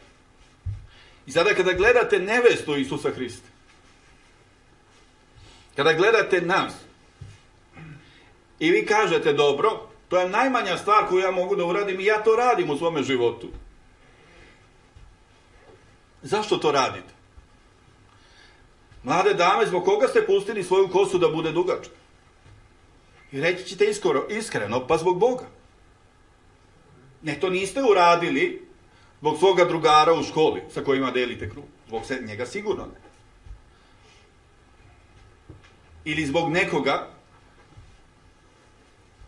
I sada kada gledate nevestu Isusa Hrista, kada gledate nas, i vi kažete, dobro, to je najmanja stvar koju ja mogu da uradim i ja to radim u svome životu. Zašto to radite? Mlade dame, zbog koga ste pustili svoju kosu da bude dugačka? I reći ćete iskoro, iskreno, pa zbog Boga. Ne, to niste uradili zbog svoga drugara u školi sa kojima delite krug. Zbog se, njega sigurno ne. Ili zbog nekoga.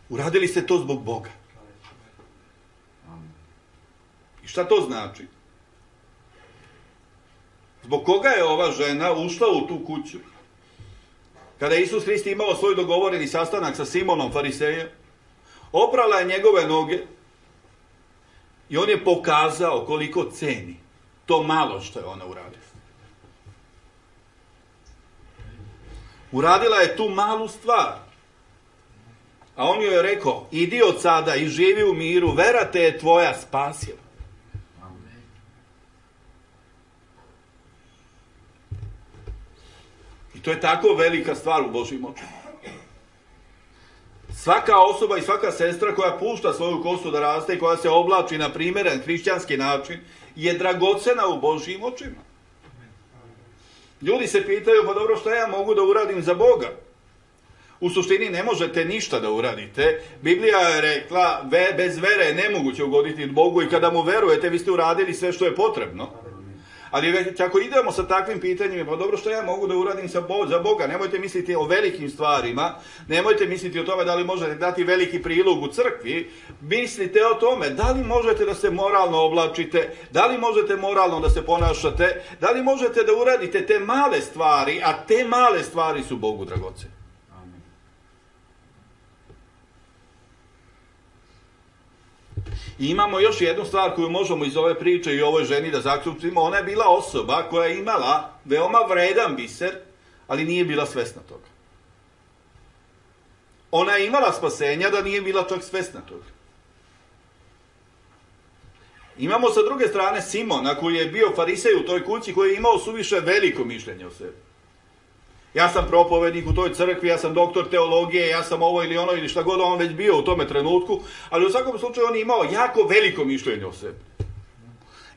Uradili ste to zbog Boga. I šta to znači? Zbog koga je ova žena ušla u tu kuću? Kada je Isus Hrist imao svoj dogovoreni sastanak sa Simonom Farisejem, oprala je njegove noge i on je pokazao koliko ceni to malo što je ona uradila. Uradila je tu malu stvar. A on joj je rekao, idi od sada i živi u miru, vera te je tvoja spasila. I to je tako velika stvar u Božjim očima. Svaka osoba i svaka sestra koja pušta svoju kosu da raste i koja se oblači na primjeren hrišćanski način je dragocena u Božjim očima. Ljudi se pitaju, pa dobro, šta ja mogu da uradim za Boga? U suštini ne možete ništa da uradite. Biblija je rekla, ve, bez vere je nemoguće ugoditi Bogu i kada mu verujete, vi ste uradili sve što je potrebno. Ali već ako idemo sa takvim pitanjima, pa dobro, što ja mogu da uradim za Boga? Nemojte misliti o velikim stvarima, nemojte misliti o tome da li možete dati veliki prilog u crkvi, mislite o tome da li možete da se moralno oblačite, da li možete moralno da se ponašate, da li možete da uradite te male stvari, a te male stvari su Bogu dragocene. I imamo još jednu stvar koju možemo iz ove priče i ovoj ženi da zaključimo. Ona je bila osoba koja je imala veoma vredan biser, ali nije bila svesna toga. Ona je imala spasenja da nije bila čak svesna toga. Imamo sa druge strane Simona koji je bio farisej u toj kući, koji je imao suviše veliko mišljenje o sebi. Ja sam propovednik u toj crkvi, ja sam doktor teologije, ja sam ovo ili ono ili šta god on već bio u tome trenutku, ali u svakom slučaju on je imao jako veliko mišljenje o sebi.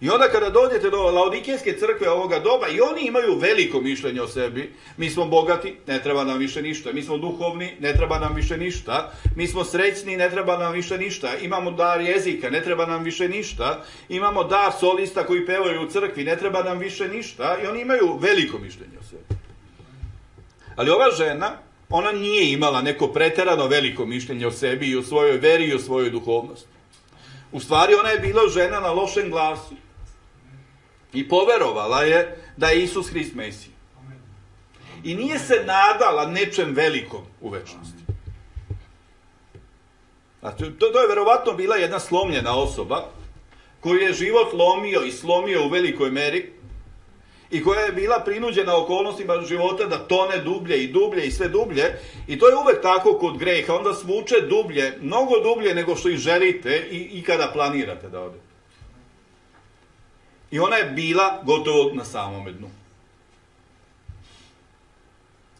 I onda kada dođete do Laodikejske crkve ovoga doba, i oni imaju veliko mišljenje o sebi. Mi smo bogati, ne treba nam više ništa. Mi smo duhovni, ne treba nam više ništa. Mi smo srećni, ne treba nam više ništa. Imamo dar jezika, ne treba nam više ništa. Imamo dar solista koji pevaju u crkvi, ne treba nam više ništa. I oni imaju veliko mišljenje o sebi. Ali ova žena, ona nije imala neko preterano veliko mišljenje o sebi i o svojoj veri i o svojoj duhovnosti. U stvari ona je bila žena na lošem glasu. I poverovala je da je Isus Hrist Mesija. I nije se nadala nečem velikom u večnosti. Znači, to, to je verovatno bila jedna slomljena osoba koju je život lomio i slomio u velikoj meri i koja je bila prinuđena okolnostima života da tone dublje i dublje i sve dublje. I to je uvek tako kod greha. Onda svuče dublje, mnogo dublje nego što i želite i, i kada planirate da ode. I ona je bila gotovo na samome dnu.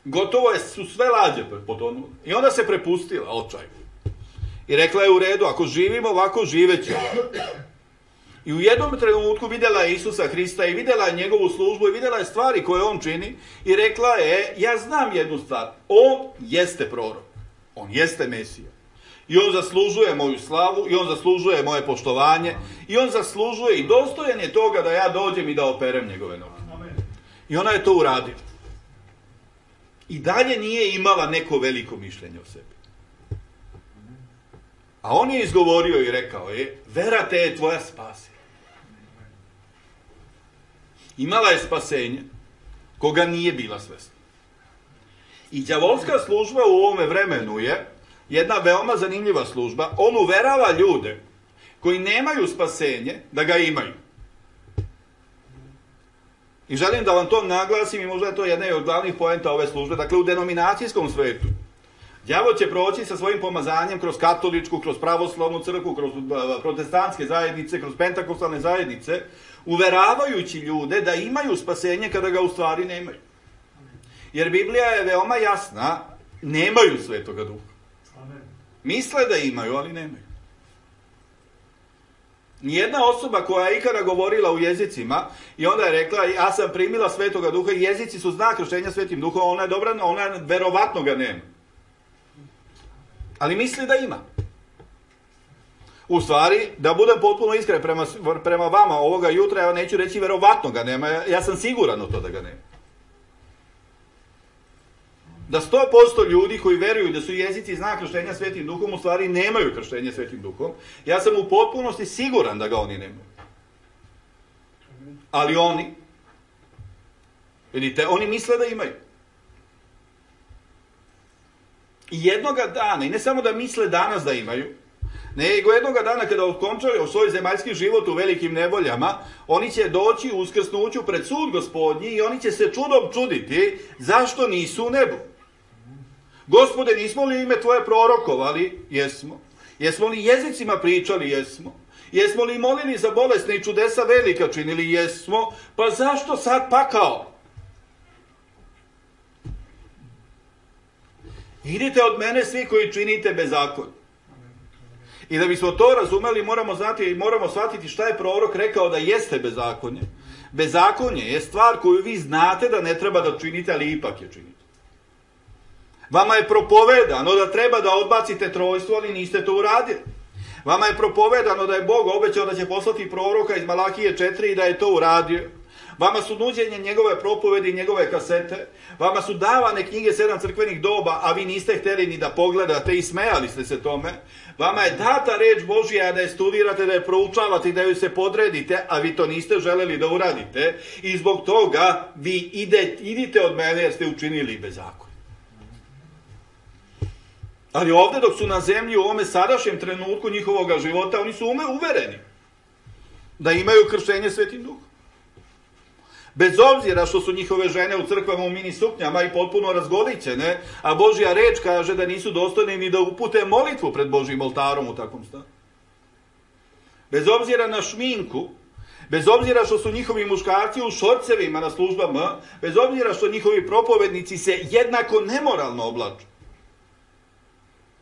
Gotovo je, su sve lađe potonule. I onda se prepustila očaju. I rekla je u redu, ako živimo ovako, živećemo. I u jednom trenutku vidjela je Isusa Hrista i vidjela je njegovu službu i vidjela je stvari koje on čini i rekla je, ja znam jednu stvar, on jeste prorok, on jeste Mesija. I on zaslužuje moju slavu i on zaslužuje moje poštovanje i on zaslužuje i dostojan je toga da ja dođem i da operem njegove noge. I ona je to uradila. I dalje nije imala neko veliko mišljenje o sebi. A on je izgovorio i rekao je, vera te je tvoja spasila. Imala je spasenje, koga nije bila svesna. I đavolska služba u ovome vremenu je jedna veoma zanimljiva služba. On uverava ljude koji nemaju spasenje da ga imaju. I želim da vam to naglasim i možda je to jedna od glavnih poenta ove službe. Dakle, u denominacijskom svetu đavo će proći sa svojim pomazanjem kroz katoličku, kroz pravoslavnu crkvu, kroz protestantske zajednice, kroz pentakostalne zajednice, uveravajući ljude da imaju spasenje kada ga u stvari nemaju. Jer Biblija je veoma jasna, nemaju Svetoga Duha. Misle da imaju, ali nemaju. Nijedna osoba koja je ikada govorila u jezicima i onda je rekla, ja sam primila Svetoga Duha i jezici su znak krštenja Svetim Duhom, ona je dobra, ona verovatno ga nema. Ali misli da ima. U stvari, da budem potpuno iskren prema, prema vama ovoga jutra, ja neću reći verovatno ga nema, ja sam siguran u to da ga nema. Da sto posto ljudi koji veruju da su jezici znak krštenja Svetim Duhom, u stvari nemaju krštenje Svetim Duhom. Ja sam u potpunosti siguran da ga oni nemaju. Ali oni, vidite, oni misle da imaju. I jednoga dana, i ne samo da misle danas da imaju, nego jednoga dana kada okončaju svoj zemaljski život u velikim nevoljama, oni će doći u uskrsnuću pred sud Gospodnji i oni će se čudom čuditi zašto nisu u nebu. Gospode, nismo li ime tvoje prorokovali? Jesmo. Jesmo li jezicima pričali? Jesmo. Jesmo li molili za bolesne i čudesa velika činili? Jesmo. Pa zašto sad pakao? Idite od mene svi koji činite bezakonje. I da bismo to razumeli, moramo znati i moramo shvatiti šta je prorok rekao da jeste bezakonje. Bezakonje je stvar koju vi znate da ne treba da činite, ali ipak je činite. Vama je propovedano da treba da odbacite trojstvo, ali niste to uradili. Vama je propovedano da je Bog obećao da će poslati proroka iz Malahije četiri i da je to uradio. Vama su nuđenje njegove propovedi i njegove kasete. Vama su davane knjige sedam crkvenih doba, a vi niste htjeli ni da pogledate i smejali ste se tome. Vama je data reč Božja da je studirate, da je proučavate i da ju se podredite, a vi to niste želeli da uradite. I zbog toga vi ide, idite od mene jer ste učinili bezakonje. Ali ovdje dok su na zemlji u ovome sadašnjem trenutku njihovoga života, oni su ume uvereni da imaju krštenje Svetim Duhom. Bez obzira što su njihove žene u crkvama u mini suknjama i potpuno razgolićene, a Božja reč kaže da nisu dostojni ni da upute molitvu pred Božjim oltarom u takvom stanju. Bez obzira na šminku, bez obzira što su njihovi muškarci u šorcevima na službama, bez obzira što njihovi propovednici se jednako nemoralno oblaču.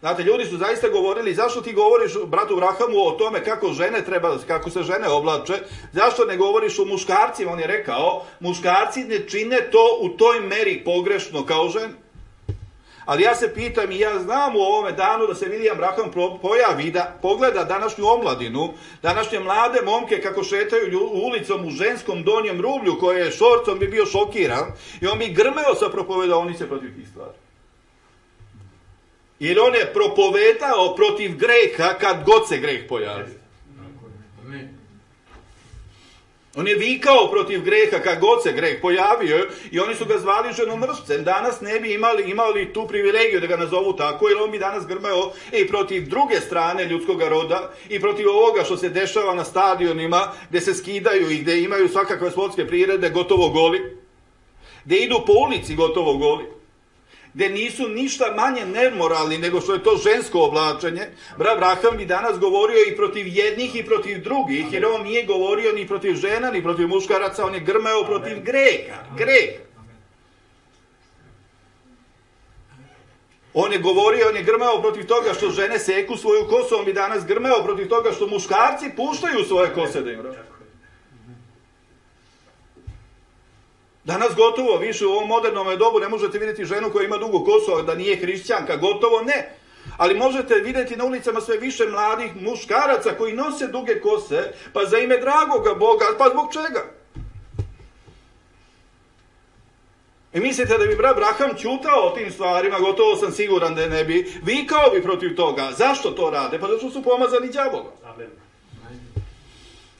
Znate, ljudi su zaista govorili, zašto ti govoriš bratu Vrahamu o tome kako žene treba, kako se žene oblače, zašto ne govoriš o muškarcima? On je rekao, muškarci ne čine to u toj meri pogrešno kao žene. Ali ja se pitam i ja znam u ovome danu da se William Branham pojavi, da pogleda današnju omladinu, današnje mlade momke kako šetaju ulicom u ženskom donjem rublju koje je šorcom, bi bio šokiran i on bi grmeo sa propovedaonice protiv tih stvari. Jer on je propovedao protiv greha kad god se greh pojavi. On je vikao protiv greha kad god se greh pojavio i oni su ga zvali ženomrscem. Danas ne bi imali, imali tu privilegiju da ga nazovu tako, jer on bi danas grmeo i protiv druge strane ljudskog roda i protiv ovoga što se dešava na stadionima gdje se skidaju i gdje imaju svakakve sportske priredbe gotovo goli, gdje idu po ulici gotovo goli, gdje nisu ništa manje nemoralni nego što je to žensko oblačenje. Brat Braham bi danas govorio i protiv jednih i protiv drugih, jer on nije govorio ni protiv žena, ni protiv muškaraca, on je grmeo protiv greha. Greh. On je govorio, on je grmeo protiv toga što žene seku svoju kosu, on bi danas grmeo protiv toga što muškarci puštaju svoje kose da im rođe. Danas gotovo više u ovom modernom dobu ne možete vidjeti ženu koja ima dugu kosu, a da nije hrišćanka, gotovo ne. Ali možete vidjeti na ulicama sve više mladih muškaraca koji nose duge kose, pa za ime dragoga Boga, pa zbog čega? I mislite da bi brat Braham ćutao o tim stvarima, gotovo sam siguran da ne bi, vikao bi protiv toga. Zašto to rade? Pa zato što su pomazani đavolom.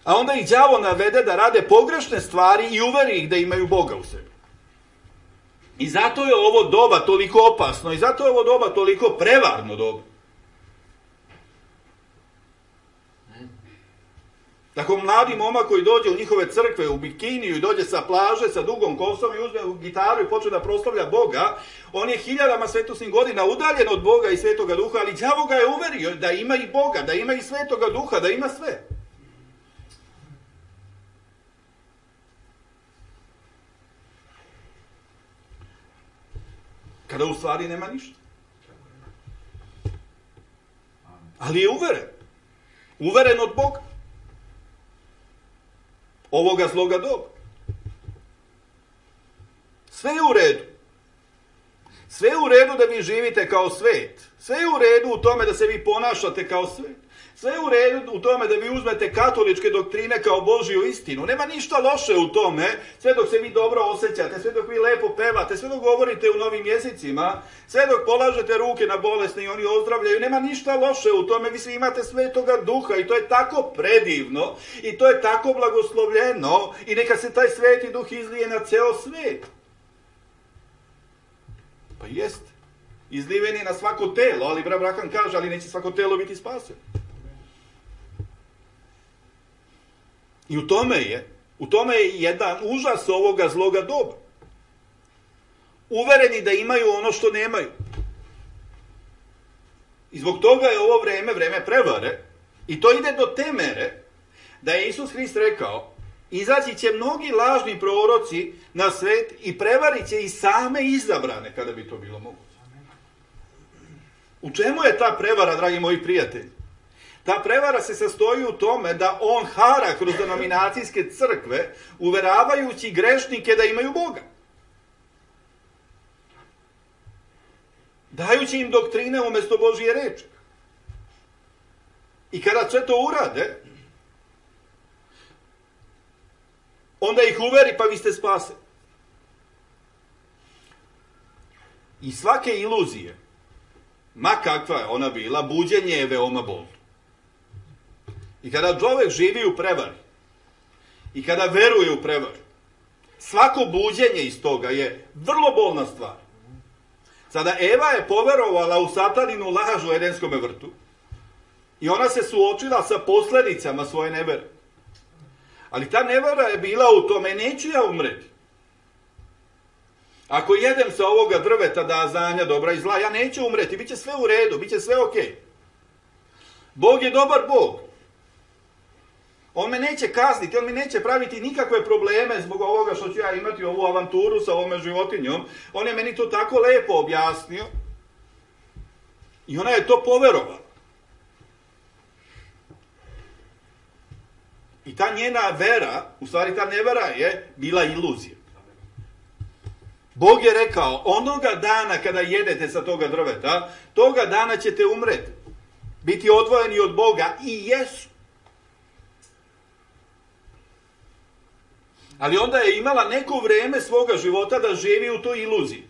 A onda ih đavo navede da rade pogrešne stvari i uveri ih da imaju Boga u sebi. I zato je ovo doba toliko opasno i zato je ovo doba toliko prevarno doba. Tako mladi momak koji dođe u njihove crkve u bikiniju i dođe sa plaže sa dugom kosom i uzme gitaru i počne da proslavlja Boga, on je hiljadama svetosnih godina udaljen od Boga i Svetoga Duha, ali đavo ga je uverio da ima i Boga, da ima i Svetoga Duha, da ima sve. Kada u stvari nema ništa. Ali je uveren. Uveren od Boga. Ovoga zloga doba. Sve je u redu. Sve je u redu da vi živite kao svet. Sve je u redu u tome da se vi ponašate kao svet. Sve je u redu u tome da vi uzmete katoličke doktrine kao Božju istinu. Nema ništa loše u tome, sve dok se vi dobro osjećate, sve dok vi lepo pevate, sve dok govorite u novim jezicima, sve dok polažete ruke na bolesne i oni ozdravljaju. Nema ništa loše u tome, vi svi imate Svetoga Duha i to je tako predivno i to je tako blagoslovljeno i neka se taj Sveti Duh izlije na ceo svet. Pa jeste. Izliven je na svako telo, ali brat Braham kaže, ali neće svako telo biti spaseno. I u tome je, u tome je jedan užas ovoga zloga doba. Uvereni da imaju ono što nemaju. I zbog toga je ovo vreme, vreme prevare, i to ide do te mere da je Isus Hrist rekao, izaći će mnogi lažni proroci na svet i prevarit će i same izabrane, kada bi to bilo moguće. U čemu je ta prevara, dragi moji prijatelji? Ta prevara se sastoji u tome da on hara kroz denominacijske crkve, uveravajući grešnike da imaju Boga. Dajući im doktrine umjesto Božje reči. I kada sve to urade, onda ih uveri, pa vi ste spaseni. I svake iluzije, ma kakva je ona bila, buđenje je veoma bolno. I kada čovjek živi u prevari, i kada veruje u prevaru, svako buđenje iz toga je vrlo bolna stvar. Sada Eva je poverovala u sataninu laž u Edenskom vrtu i ona se suočila sa posljedicama svoje nevere. Ali ta nevera je bila u tome, neću ja umreti. Ako jedem sa ovoga drveta da znanja dobra i zla, ja neću umreti, bit će sve u redu, bit će sve ok. Bog je dobar Bog. On me neće kazniti, on mi neće praviti nikakve probleme zbog ovoga što ću ja imati ovu avanturu sa ovome životinjom. On je meni to tako lepo objasnio i ona je to poverovala. I ta njena vera, u stvari ta nevera je bila iluzija. Bog je rekao, onoga dana kada jedete sa toga drveta, toga dana ćete umreti. Biti odvojeni od Boga i jesu. Ali onda je imala neko vrijeme svoga života da živi u toj iluziji.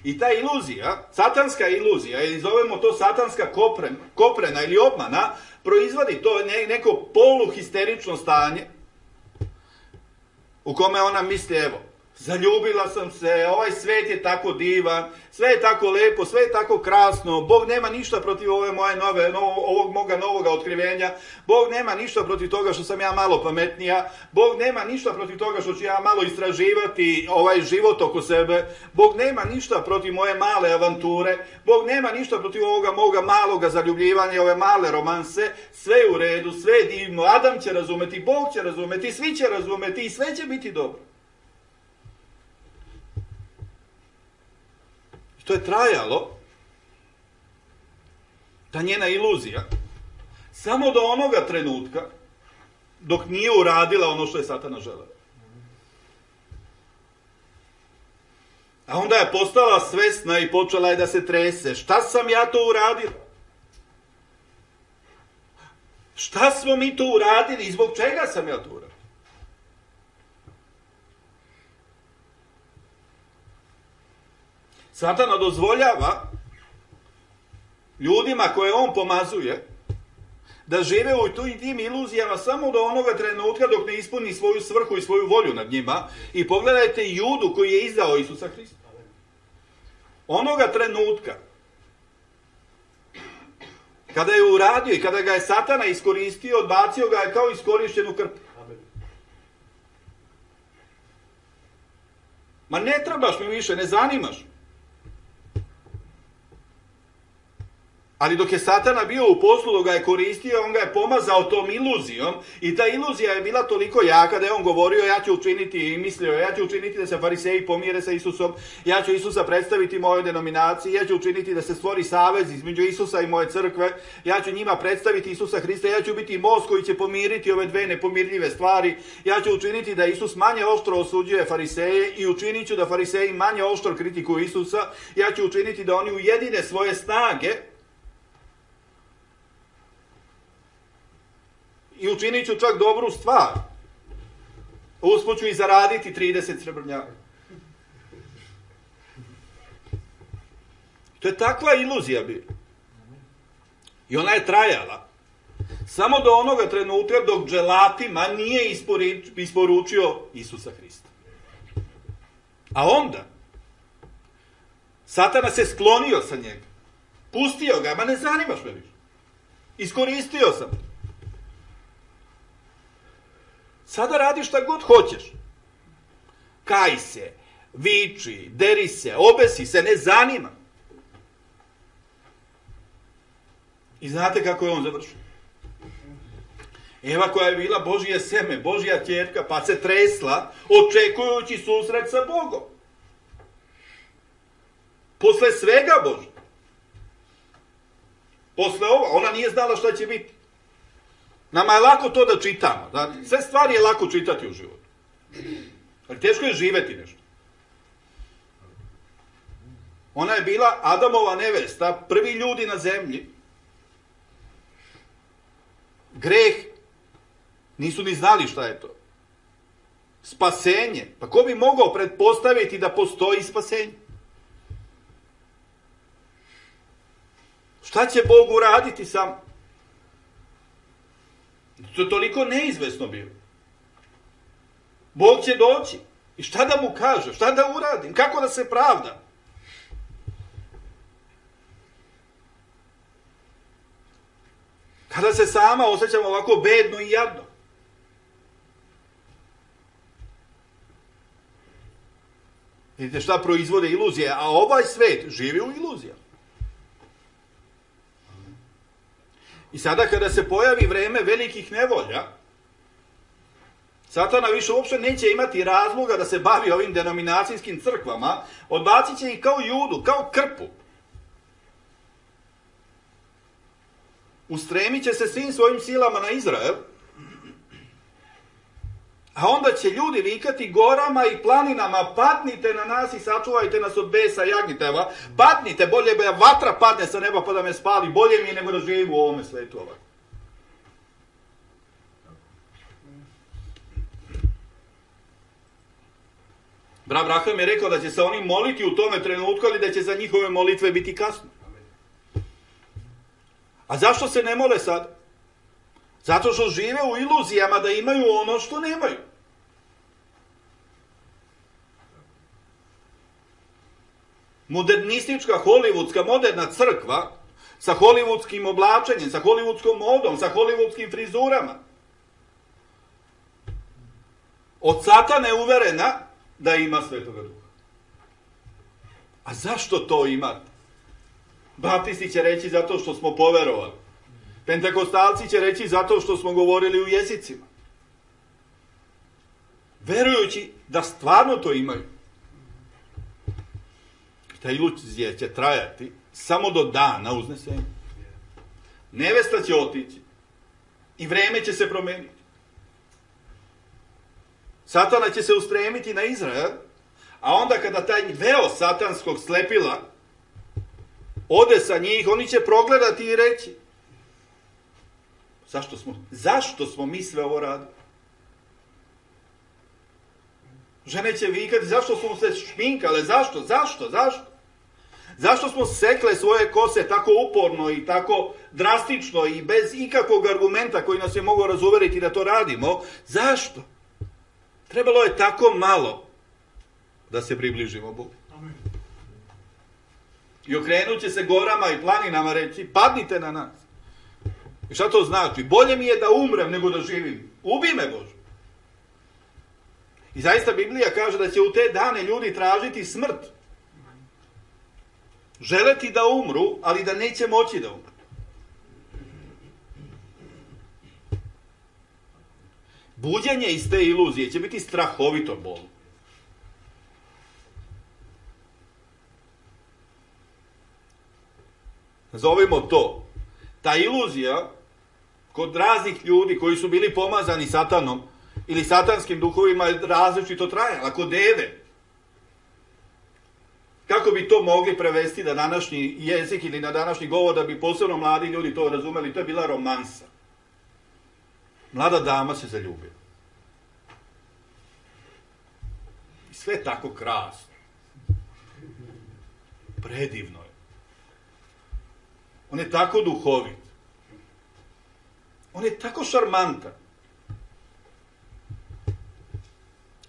I ta iluzija, satanska iluzija, ili zovemo to satanska koprena, koprena ili obmana, proizvodi to neko poluhisterično stanje u kome ona misli, evo, zaljubila sam se, ovaj svet je tako divan, sve je tako lepo, sve je tako krasno, Bog nema ništa protiv ove moje nove, no, ovog moga novoga otkrivenja, Bog nema ništa protiv toga što sam ja malo pametnija, Bog nema ništa protiv toga što ću ja malo istraživati ovaj život oko sebe, Bog nema ništa protiv moje male avanture, Bog nema ništa protiv ovoga moga maloga zaljubljivanja, ove male romanse, sve je u redu, sve je divno, Adam će razumeti, Bog će razumeti, svi će razumeti i sve će biti dobro. To je trajalo, ta njena iluzija, samo do onoga trenutka dok nije uradila ono što je Satana želeo. A onda je postala svesna i počela je da se trese. Šta sam ja to uradila? Šta smo mi to uradili i zbog čega sam ja to uradila? Satana dozvoljava ljudima koje on pomazuje da žive u tim iluzijama samo do onoga trenutka dok ne ispuni svoju svrhu i svoju volju nad njima. I pogledajte Judu koji je izdao Isusa Hrista. Onoga trenutka kada je uradio i kada ga je Satana iskoristio, odbacio ga je kao iskorišćenu krpu. Ma ne trebaš mi više, ne zanimaš. Ali dok je Satana bio u poslu, dok ga je koristio, on ga je pomazao tom iluzijom i ta iluzija je bila toliko jaka da je on govorio ja ću učiniti i mislio ja ću učiniti da se fariseji pomire sa Isusom, ja ću Isusa predstaviti mojoj denominaciji, ja ću učiniti da se stvori savez između Isusa i moje crkve, ja ću njima predstaviti Isusa Hrista, ja ću biti most koji će pomiriti ove dve nepomirljive stvari, ja ću učiniti da Isus manje oštro osuđuje fariseje i učinit ću da fariseji manje oštro kritikuju Isusa, ja ću učiniti da oni ujedine svoje snage i učinit ću čak dobru stvar. Usput ću i zaraditi trideset srebrnjaka. To je takva iluzija bila. I ona je trajala samo do onoga trenutka dok dželatima nije isporučio Isusa Hrista. A onda Satana se sklonio sa njega. Pustio ga, ma ne zanimaš me više. Iskoristio sam. Sada radi šta god hoćeš. Kaj se, viči, deri se, obesi se, ne zanima. I znate kako je on završio? Eva koja je bila Božje seme, Božja ćerka, pa se tresla, očekujući susret sa Bogom. Posle svega Božja. Posle ovo, ona nije znala šta će biti. Nama je lako to da čitamo. Da? Sve stvari je lako čitati u životu. Ali teško je živeti nešto. Ona je bila Adamova nevesta, prvi ljudi na zemlji. Greh. Nisu ni znali šta je to. Spasenje. Pa ko bi mogao pretpostaviti da postoji spasenje? Šta će Bog uraditi sam? To je toliko neizvesno bilo. Bog će doći. I šta da mu kaže? Šta da uradim? Kako da se pravdam? Kada se sama osjećam ovako bedno i jadno. Vidite šta proizvode iluzije, a ovaj svet živi u iluzijama. I sada kada se pojavi vreme velikih nevolja, Satana više uopšte neće imati razloga da se bavi ovim denominacijskim crkvama, odbacit će ih kao Judu, kao krpu. Ustremit će se svim svojim silama na Izrael, a onda će ljudi vikati gorama i planinama, padnite na nas i sačuvajte nas od besa jagnjiteva, padnite, bolje da vatra padne sa neba pa da me spali, bolje mi je nego da živim u ovome svetu ovako. Brat Abraham je rekao da će se oni moliti u tome trenutku, ali da će za njihove molitve biti kasno. A zašto se ne mole sad? Zato što žive u iluzijama da imaju ono što nemaju. modernistička, hollywoodska, moderna crkva sa hollywoodskim oblačenjem, sa hollywoodskom modom, sa hollywoodskim frizurama. Od Satana je uverena da ima Svetoga Duha. A zašto to imate? Baptisti će reći zato što smo poverovali. Pentekostalci će reći zato što smo govorili u jezicima. Verujući da stvarno to imaju. Ta iluzija će trajati samo do dana uznesenja. Nevesta će otići i vreme će se promeniti. Satana će se ustremiti na Izrael, a onda kada taj veo satanskog slepila ode sa njih, oni će progledati i reći: zašto smo, zašto smo mi sve ovo radili? Žene će vikati: zašto smo se šminkale, zašto, zašto, zašto? Zašto smo sekle svoje kose tako uporno i tako drastično i bez ikakvog argumenta koji nas je mogao razuveriti da to radimo? Zašto? Trebalo je tako malo da se približimo Bogu. I okrenut će se gorama i planinama reći: padnite na nas. I šta to znači? Bolje mi je da umrem nego da živim. Ubi me, Bože. I zaista Biblija kaže da će u te dane ljudi tražiti smrt. Želeti da umru, ali da neće moći da umru. Buđenje iz te iluzije će biti strahovito bolno. Zovemo to. Ta iluzija kod raznih ljudi koji su bili pomazani satanom ili satanskim duhovima je različito trajala. Kod Eve. Kako bi to mogli prevesti na današnji jezik ili na današnji govor da bi posebno mladi ljudi to razumeli? To je bila romansa. Mlada dama se zaljubila. I sve je tako krasno. Predivno je. On je tako duhovit. On je tako šarmantan.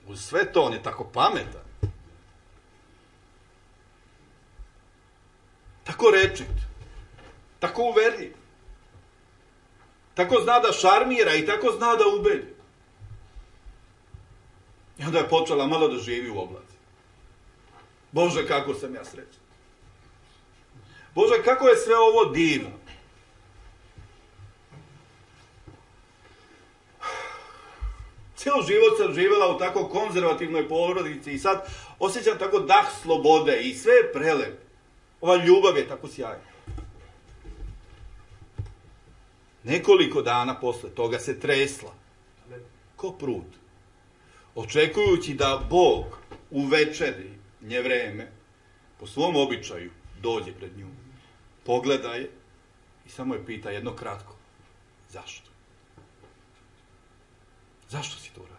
Uz sve to on je tako pametan. Tako rečit. Tako uverljiv. Tako zna da šarmira i tako zna da ubedi. I onda je počela malo da živi u oblaci. Bože, kako sam ja srećan. Bože, kako je sve ovo divno. Cijel život sam živjela u tako konzervativnoj porodici i sad osjećam tako dah slobode i sve je prelepo. Ova ljubav je tako sjajna. Nekoliko dana posle toga se tresla. Ko prut. Očekujući da Bog u večeri nje vreme po svom običaju dođe pred nju. Pogleda je i samo je pita jedno kratko: zašto? Zašto si to uradio?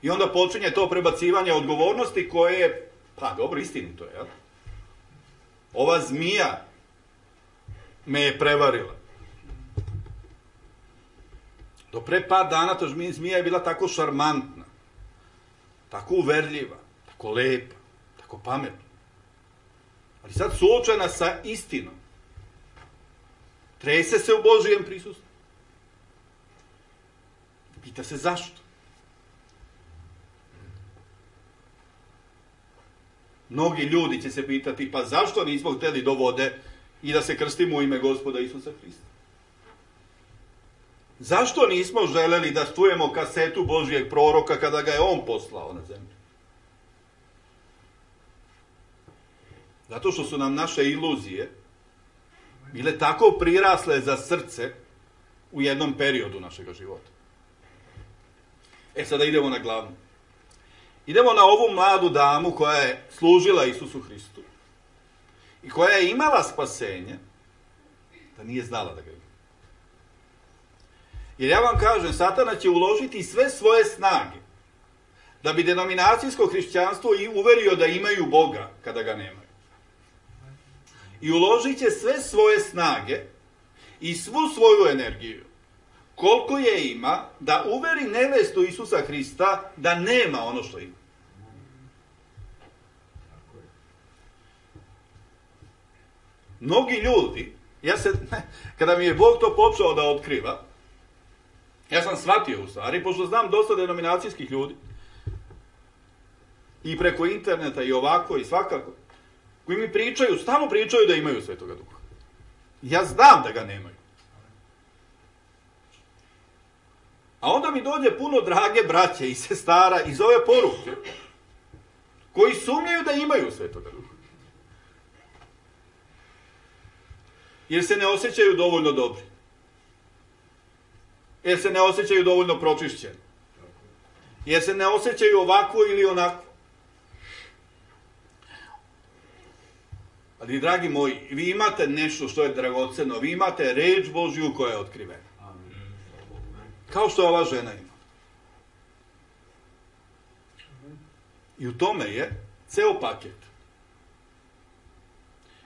I onda počinje to prebacivanje odgovornosti koje je, pa dobro, istinito je, jel? Ova zmija me je prevarila. Do pre par dana ta zmija je bila tako šarmantna, tako uverljiva, tako lepa, tako pametna. Ali sad suočena sa istinom. Trese se u Božijem prisustvu. Pita se zašto. Mnogi ljudi će se pitati: pa zašto nismo hteli do vode i da se krstimo u ime Gospoda Isusa Hrista? Zašto nismo želeli da čujemo kasetu Božijeg proroka kada ga je on poslao na zemlju? Zato što su nam naše iluzije bile tako prirasle za srce u jednom periodu našeg života. E sada idemo na glavnu. Idemo na ovu mladu damu koja je služila Isusu Hristu i koja je imala spasenje, da nije znala da ga ima. Jer ja vam kažem, Satana će uložiti sve svoje snage da bi denominacijsko hrišćanstvo i uverio da imaju Boga kada ga nemaju. I uložit će sve svoje snage i svu svoju energiju, koliko je ima, da uveri nevestu Isusa Hrista da nema ono što ima. Mnogi ljudi, ja se, kada mi je Bog to počeo da otkriva, ja sam shvatio u stvari, pošto znam dosta denominacijskih ljudi, i preko interneta i ovako i svakako, koji mi pričaju, stalno pričaju da imaju Svetoga Duha. Ja znam da ga nemaju. A onda mi dođe puno drage braće i sestara iz ove poruke, koji sumnjaju da imaju Svetoga Duha. Jer se ne osjećaju dovoljno dobri. Jer se ne osjećaju dovoljno pročišćeni. Jer se ne osjećaju ovako ili onako. Ali, dragi moji, vi imate nešto što je dragoceno, vi imate reč Božju koja je otkrivena. Kao što ova žena ima. I u tome je ceo paket.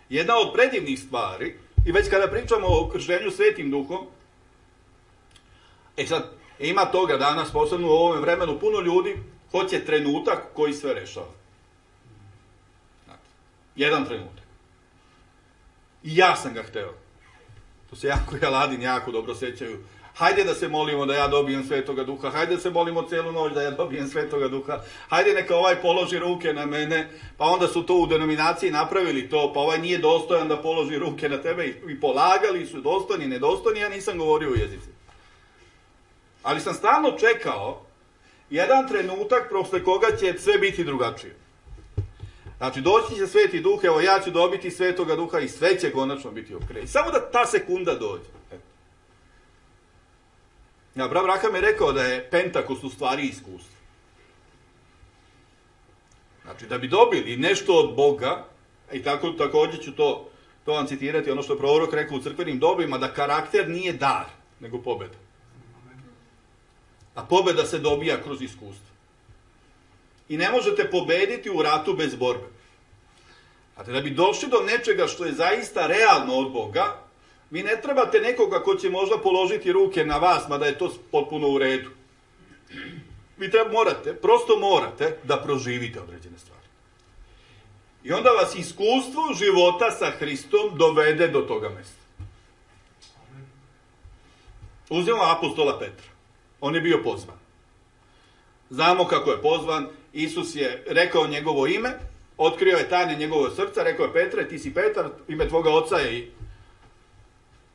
Jedna od predivnih stvari, i već kada pričamo o krštenju Svetim Duhom, e sad, ima toga danas, posebno u ovom vremenu, puno ljudi hoće trenutak koji sve rešava. Jedan trenutak. I ja sam ga hteo. To se jako i Aladin jako dobro sećaju. Hajde da se molimo da ja dobijem Svetoga Duha, hajde da se molimo celu noć da ja dobijem Svetoga Duha, hajde neka ovaj položi ruke na mene, pa onda su to u denominaciji napravili to, pa ovaj nije dostojan da položi ruke na tebe i, i polagali su dostojni, nedostojni, ja nisam govorio u jezici. Ali sam stalno čekao jedan trenutak posle koga će sve biti drugačije. Znači, doći će Sveti Duh, evo ja ću dobiti Svetoga Duha i sve će konačno biti okej. Samo da ta sekunda dođe. Eto. Ja, brat Braham je rekao da je Pentakost u stvari iskustvo. Znači, da bi dobili nešto od Boga, i tako, također ću to, to vam citirati, ono što je prorok rekao u crkvenim dobima, da karakter nije dar, nego pobeda. A pobeda se dobija kroz iskustvo. I ne možete pobediti u ratu bez borbe. Znate, da bi došli do nečega što je zaista realno od Boga, vi ne trebate nekoga ko će možda položiti ruke na vas, mada je to potpuno u redu. Vi treba, morate, prosto morate da proživite određene stvari. I onda vas iskustvo života sa Hristom dovede do toga mesta. Uzmemo apostola Petra. On je bio pozvan. Znamo kako je pozvan. Isus je rekao njegovo ime, otkrio je tajne njegovog srca, rekao je Petre, ti si Petar, ime tvoga oca je i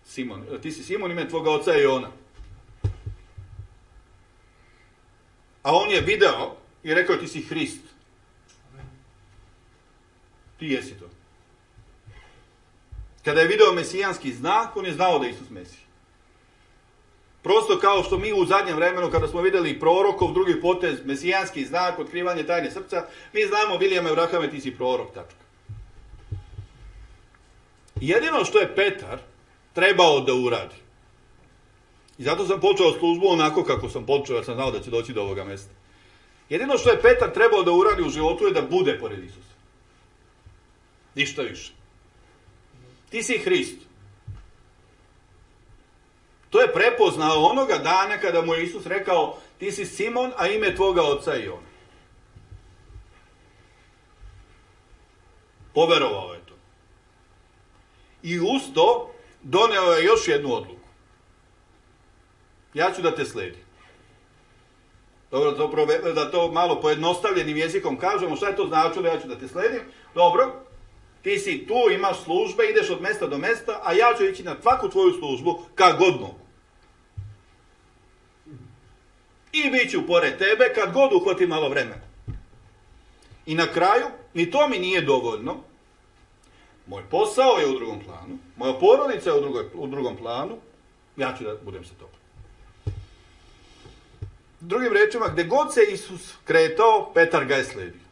Simon. Ti si Simon, ime tvoga oca je Jona. A on je video i rekao ti si Hrist. Ti jesi to. Kada je video mesijanski znak, on je znao da je Isus Mesija. Prosto kao što mi u zadnjem vremenu, kada smo vidjeli prorokov, drugi potez, mesijanski znak, otkrivanje tajne srca, mi znamo, Vilijame Vrahame, ti si prorok, tačka. Jedino što je Petar trebao da uradi, i zato sam počeo službu onako kako sam počeo, jer sam znao da će doći do ovoga mesta. Jedino što je Petar trebao da uradi u životu je da bude pored Isusa. Ništa više. Ti si Hrist. To je prepoznao onoga dana kada mu je Isus rekao ti si Simon, a ime tvoga oca je Jona. Poverovao je to. I uz to doneo je još jednu odluku. Ja ću da te sledim. Dobro, da to, da to malo pojednostavljenim jezikom kažemo, šta je to značilo, ja ću da te sledim. Dobro, ti si tu, imaš službe, ideš od mesta do mesta, a ja ću ići na svaku tvoju službu, kad god mogu. I bit ću pored tebe, kad god uhvatim malo vremena. I na kraju, ni to mi nije dovoljno. Moj posao je u drugom planu, moja porodica je u, drugoj, u drugom planu, ja ću da budem sa tobom. Drugim rečima, gde god se Isus kretao, Petar ga je sledio.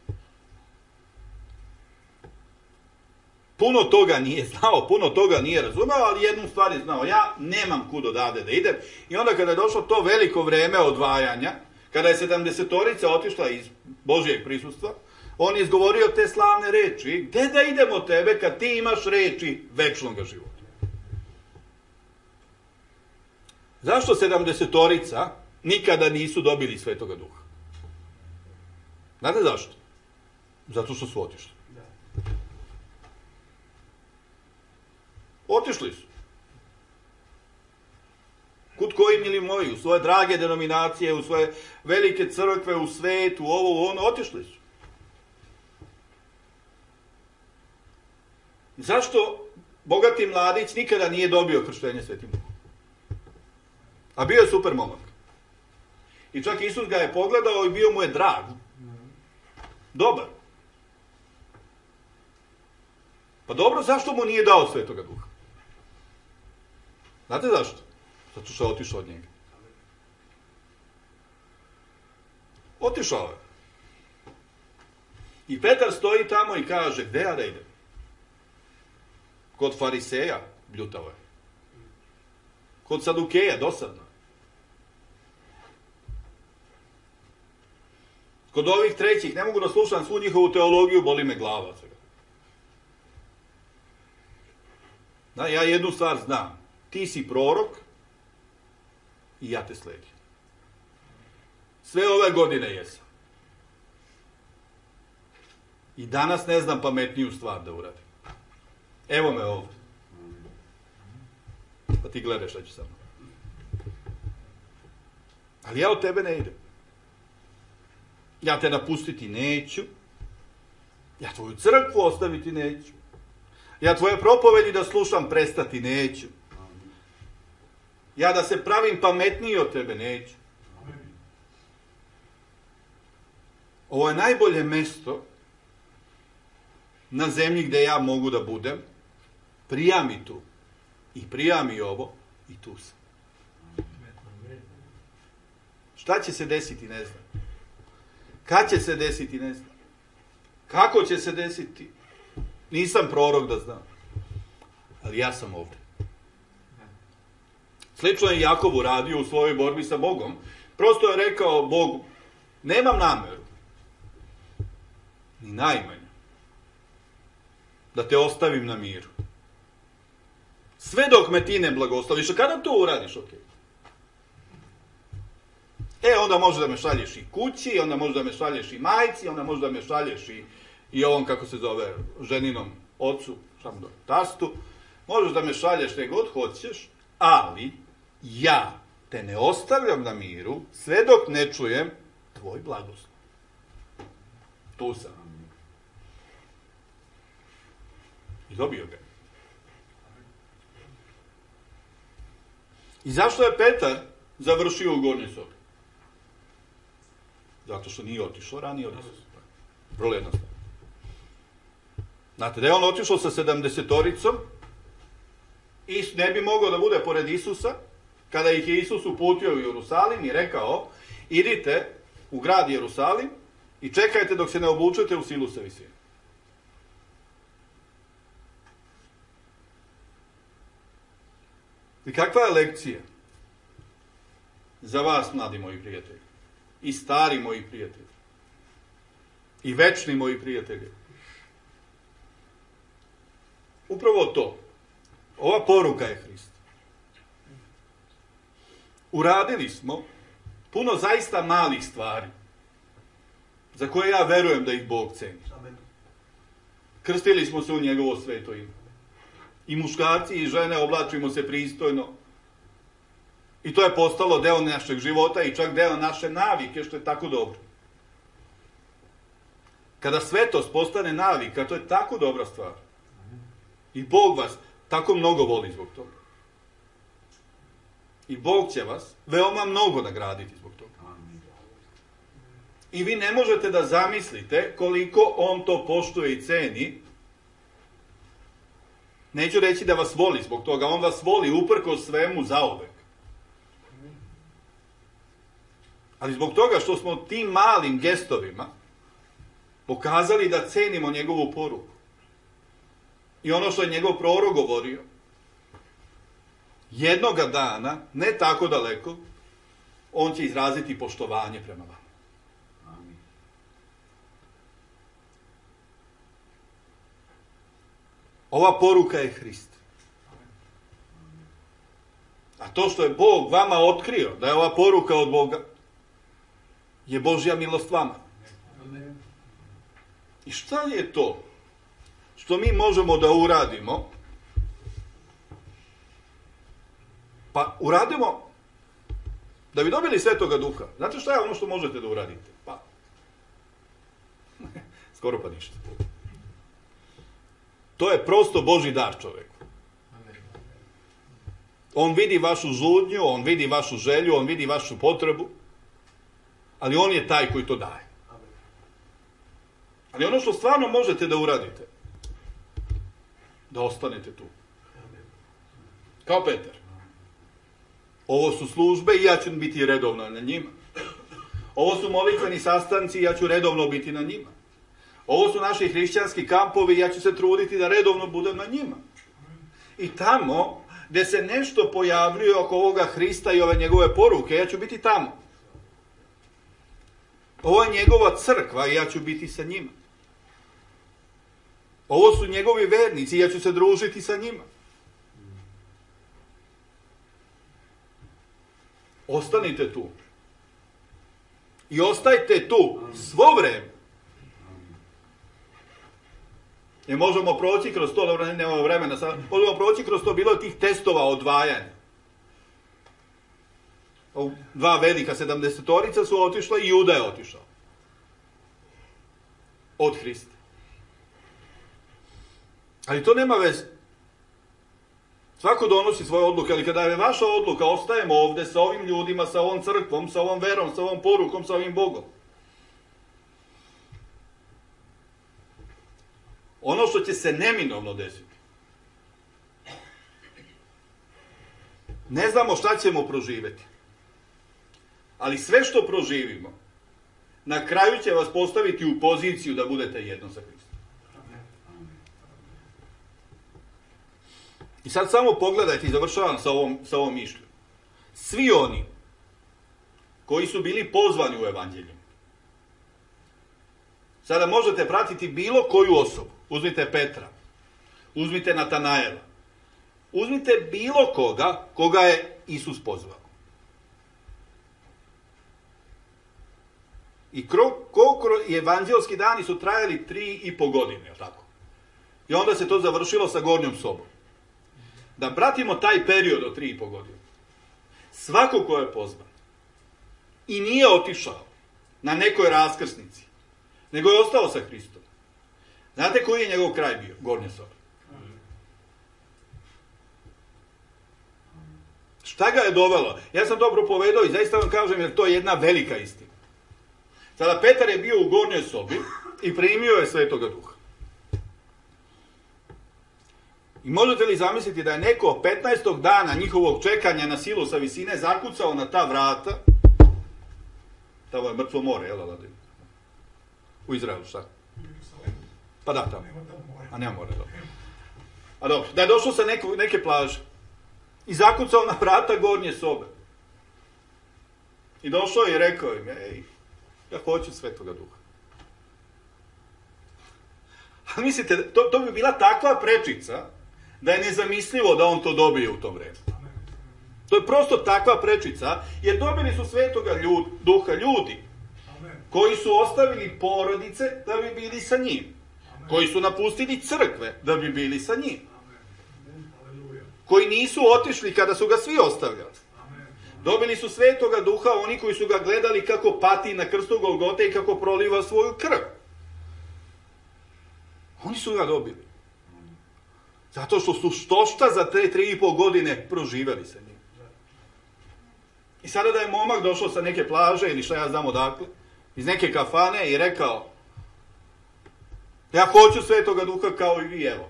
Puno toga nije znao, puno toga nije razumeo, ali jednu stvar je znao, ja nemam kud odavde da idem. I onda kada je došlo to veliko vreme odvajanja, kada je sedamdesetorica otišla iz Božijeg prisustva, on je izgovorio te slavne reči, gde da idemo tebe kad ti imaš reči večnog života? Zašto sedamdesetorica nikada nisu dobili Svetoga Duha? Znate zašto? Zato što su otišli. Otišli su. Kud koji, mili moji, u svoje drage denominacije, u svoje velike crkve, u svet, u ovo, u ono, otišli su. Zašto bogati mladić nikada nije dobio krštenje Svetim Duhom? A bio je super momak. I čak Isus ga je pogledao i bio mu je drag. Dobar. Pa dobro, zašto mu nije dao Svetoga Duha? Znate zašto? Zato što je otišao od njega. Otišao je. I Petar stoji tamo i kaže, gde ja da idem? Kod fariseja bljutavo je. Kod sadukeja dosadno. Kod ovih trećih ne mogu da slušam svu njihovu teologiju, boli me glava. Da, ja jednu stvar znam. Ti si prorok i ja te sledim. Sve ove godine jesam. I danas ne znam pametniju stvar da uradim. Evo me ovdje. Pa ti gledaš šta ću sa mnom. Ali ja od tebe ne idem. Ja te napustiti neću. Ja tvoju crkvu ostaviti neću. Ja tvoje propovedi da slušam prestati neću. Ja da se pravim pametniji od tebe neću. Ovo je najbolje mesto na zemlji gde ja mogu da budem. Prija mi tu. I prija mi ovo. I tu sam. Šta će se desiti, ne znam. Kad će se desiti, ne znam. Kako će se desiti, nisam prorok da znam. Ali ja sam ovdje. Slično je Jakov uradio u svojoj borbi sa Bogom. Prosto je rekao Bogu, nemam nameru, ni najmanje, da te ostavim na miru. Sve dok me ti ne blagosloviš. A kada to uradiš, ok. E, onda može da me šalješ i kući, onda može da me šalješ i majci, onda može da me šalješ i, i ovom, kako se zove, ženinom ocu, samo do tastu. Možeš da me šalješ gdje god hoćeš, ali ja te ne ostavljam na miru sve dok ne čujem tvoj blagoslov. Tu sam. I dobio ga. I zašto je Petar završio u gornjoj sobi? Zato što nije otišao ranije od Isusa. Vrlo jednostavno. Znate, da je on otišao sa sedamdesetoricom i ne bi mogao da bude pored Isusa, kada ih je Isus uputio u Jerusalim i rekao, idite u grad Jerusalim i čekajte dok se ne obučete u silu sa visine. I kakva je lekcija za vas, mladi moji prijatelji, i stari moji prijatelji, i večni moji prijatelji? Upravo to. Ova poruka je Hrist. Uradili smo puno zaista malih stvari, za koje ja verujem da ih Bog ceni. Krstili smo se u njegovo sveto ime. I muškarci i žene oblačimo se pristojno. I to je postalo deo našeg života i čak deo naše navike, što je tako dobro. Kada svetost postane navika, to je tako dobra stvar. I Bog vas tako mnogo voli zbog toga. I Bog će vas veoma mnogo nagraditi zbog toga. I vi ne možete da zamislite koliko on to poštuje i ceni. Neću reći da vas voli zbog toga, on vas voli uprkos svemu zauvek. Ali zbog toga što smo tim malim gestovima pokazali da cenimo njegovu poruku. I ono što je njegov prorok govorio, jednoga dana, ne tako daleko, on će izraziti poštovanje prema vama. Ova poruka je Hrist. A to što je Bog vama otkrio, da je ova poruka od Boga, je Božja milost vama. I šta je to što mi možemo da uradimo Pa uradimo, da bi dobili Svetoga Duha. Znate šta je ono što možete da uradite? Pa, skoro pa ništa. To je prosto Božji dar čoveku. On vidi vašu žudnju, on vidi vašu želju, on vidi vašu potrebu, ali on je taj koji to daje. Ali ono što stvarno možete da uradite, da ostanete tu. Kao Petar. Ovo su službe i ja ću biti redovno na njima. Ovo su molitveni sastanci i ja ću redovno biti na njima. Ovo su naši hrišćanski kampovi i ja ću se truditi da redovno budem na njima. I tamo gdje se nešto pojavljuje oko ovoga Hrista i ove njegove poruke, ja ću biti tamo. Ovo je njegova crkva i ja ću biti sa njima. Ovo su njegovi vernici i ja ću se družiti sa njima. Ostanite tu. I ostajte tu svo vreme. I možemo proći kroz to, dobro, nemamo vremena, sad, možemo proći kroz to, bilo tih testova odvajanja. Dva velika sedamdesetorica su otišla i Juda je otišao. Od Hrista. Ali to nema veze. Svako donosi svoje odluke, ali kada je vaša odluka, ostajemo ovde sa ovim ljudima, sa ovom crkvom, sa ovom verom, sa ovom porukom, sa ovim Bogom. Ono što će se neminovno desiti. Ne znamo šta ćemo proživeti. Ali sve što proživimo, na kraju će vas postaviti u poziciju da budete jedno sa Hristom. I sad samo pogledajte i završavam sa ovom, sa ovom mišlju. Svi oni koji su bili pozvani u evanđelju, sada možete pratiti bilo koju osobu. Uzmite Petra, uzmite Natanaela, uzmite bilo koga, koga je Isus pozvao. I koliko evanđelski dani su trajali tri i po godine, tako? I onda se to završilo sa gornjom sobom. Da pratimo taj period od tri i po godine. Svako ko je pozvan i nije otišao na nekoj raskrsnici, nego je ostao sa Hristom. Znate koji je njegov kraj bio? Gornja soba. Šta ga je dovelo? Ja sam to propovedao i zaista vam kažem jer to je jedna velika istina. Sada Petar je bio u gornjoj sobi i primio je Svetoga Duha. I možete li zamisliti da je neko petnaestog dana njihovog čekanja na silu sa visine zakucao na ta vrata? Tamo je mrtvo more, jel da? U Izraelu, šta? Pa da, tamo. A nema more, dobro. A dobro, da je došao sa neko, neke plaže i zakucao na vrata gornje sobe. I došao je i rekao im, ej, ja hoću Svetoga Duha. A mislite, to, to bi bila takva prečica da je nezamislivo da on to dobije u to vreme. To je prosto takva prečica, jer dobili su Svetoga ljud, Duha ljudi koji su ostavili porodice da bi bili sa njim. Koji su napustili crkve da bi bili sa njim. Koji nisu otišli kada su ga svi ostavljali. Dobili su Svetoga Duha oni koji su ga gledali kako pati na krstu Golgote i kako proliva svoju krv. Oni su ga dobili. Zato što su štošta za te tri i pol godine proživeli sa njim. I sada da je momak došao sa neke plaže ili šta ja znam odakle, iz neke kafane i rekao, ja hoću Svetoga Duha kao i vi, evo.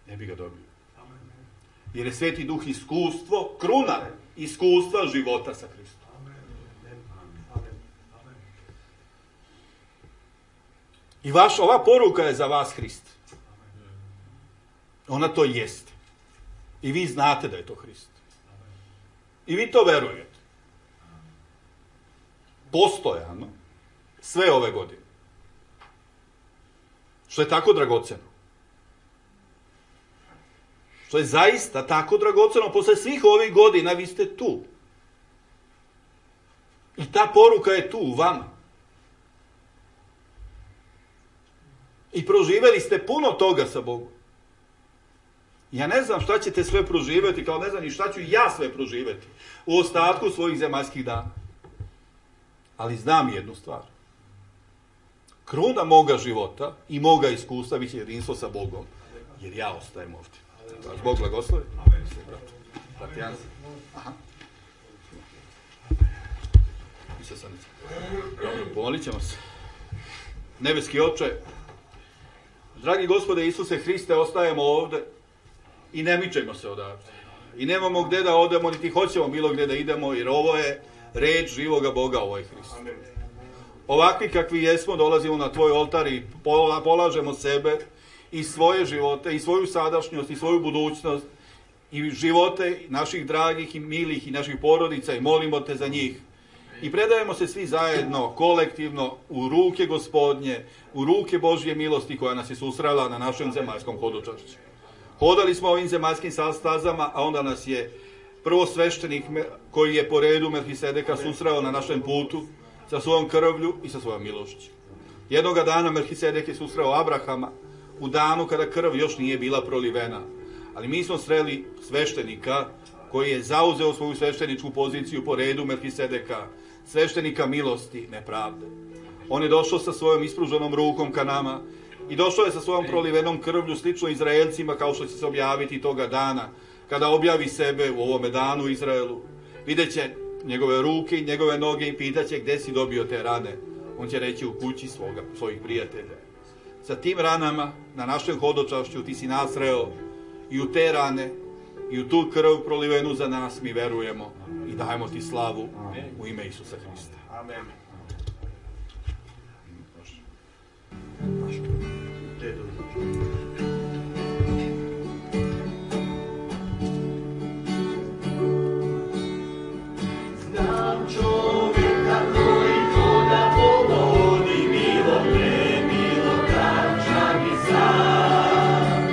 Ne bi ga dobio. Jer je Sveti Duh iskustvo, kruna iskustva života sa Hristom. I vaš, ova poruka je za vas Hrist. Ona to jeste. I vi znate da je to Hrist. I vi to verujete. Postojano sve ove godine. Što je tako dragoceno. Što je zaista tako dragoceno. Posle svih ovih godina vi ste tu. I ta poruka je tu u vama. I proživeli ste puno toga sa Bogom. Ja ne znam šta ćete sve proživjeti, kao ne znam ni šta ću ja sve proživjeti u ostatku svojih zemaljskih dana. Ali znam jednu stvar. Kruna moga života i moga iskustva bit će jedinstvo sa Bogom, jer ja ostajem ovdje. Vas Bog blagoslovi. Aha. Pomolit ćemo se. Nebeski Oče, dragi Gospode Isuse Hriste, ostajemo ovdje i ne mičemo se odavde. I nemamo gdje da odemo, niti hoćemo bilo gdje da idemo, jer ovo je reč živoga Boga, ovo je Hrist. Ovakvi kakvi jesmo, dolazimo na tvoj oltar i polažemo sebe i svoje živote, i svoju sadašnjost, i svoju budućnost, i živote naših dragih i milih i naših porodica i molimo te za njih. I predajemo se svi zajedno, kolektivno, u ruke Gospodnje, u ruke Božje milosti koja nas je susrela na našem zemaljskom hodočašću. Hodali smo ovim zemaljskim stazama, a onda nas je prvo sveštenik koji je po redu Melhisedeka susreo na našem putu sa svojom krvlju i sa svojom milošću. Jednoga dana Melhisedek je susreo Abrahama u danu kada krv još nije bila prolivena. Ali mi smo sreli sveštenika koji je zauzeo svoju svešteničku poziciju po redu Melhisedeka, sveštenika milosti, ne pravde. On je došao sa svojom ispruženom rukom ka nama i došao je sa svojom prolivenom krvlju slično Izraelcima kao što će se objaviti toga dana kada objavi sebe u ovome danu Izraelu. Vidjet će njegove ruke i njegove noge i pitaće gdje si dobio te rane. On će reći u kući svoga, svojih prijatelja. Sa tim ranama na našem hodočašću ti si nas sreo i u te rane i u tu krv prolivenu za nas mi verujemo i dajemo ti slavu u ime Isusa Hrista. Amen. Znam čovjeka koji hoda po vodi, milo premilo trača mi sam.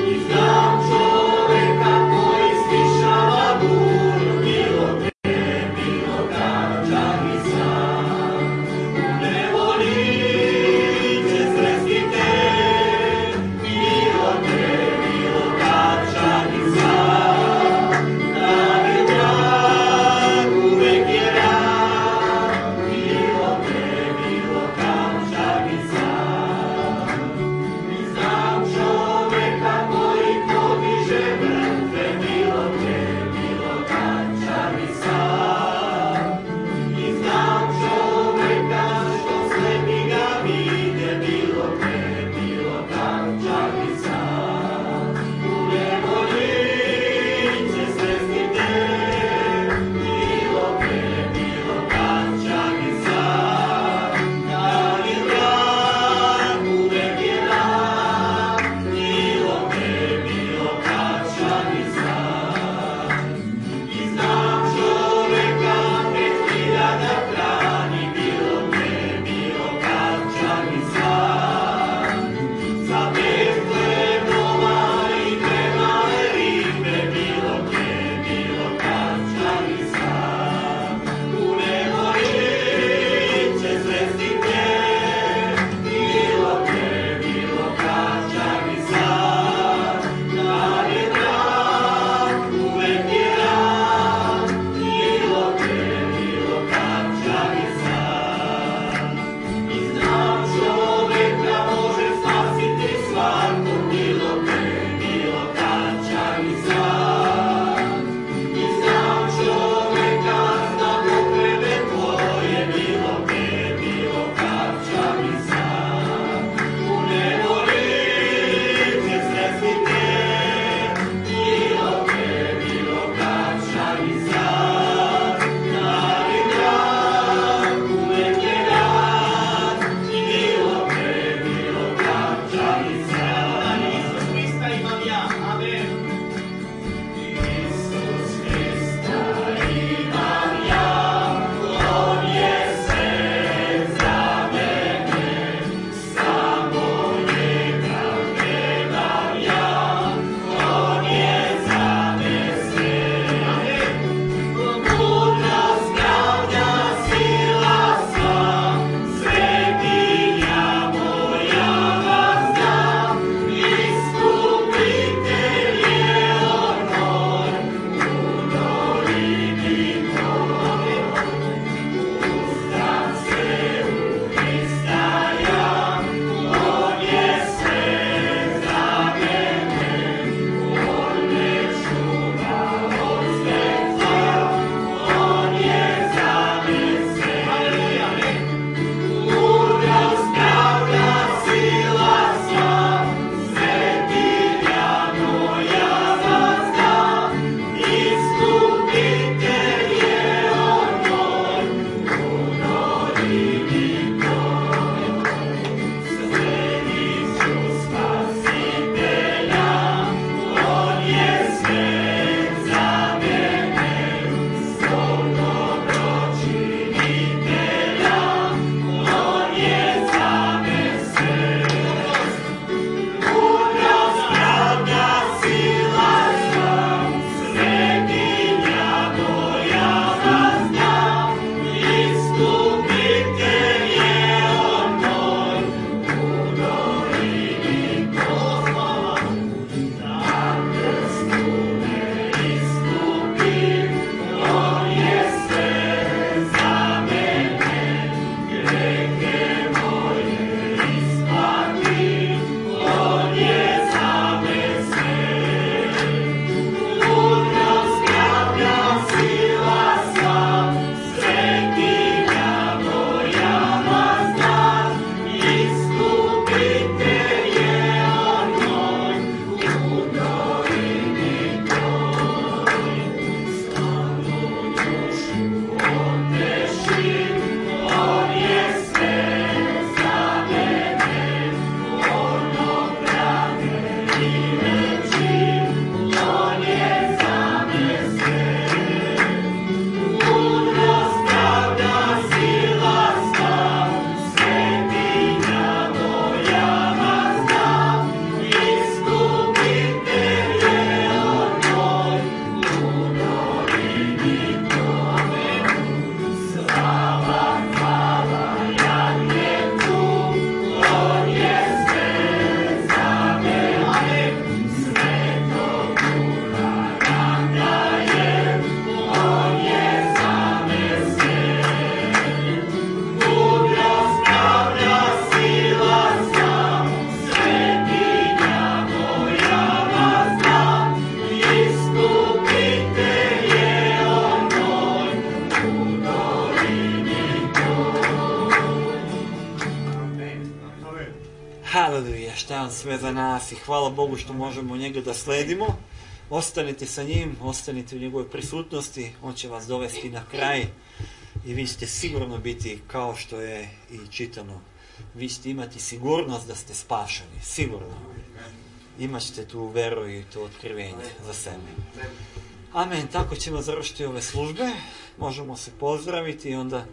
I znam čovjeka koji stišava buru, milo premilo trača mi sam. U nevoli će sresti te šta je on sve za nas i hvala Bogu što možemo njega da sledimo. Ostanite sa njim, ostanite u njegovoj prisutnosti, on će vas dovesti na kraj i vi ćete sigurno biti kao što je i čitano. Vi ćete imati sigurnost da ste spašeni, sigurno. Imat ćete tu veru i to otkrivenje za sebe. Amen, tako ćemo završiti ove službe, možemo se pozdraviti i onda,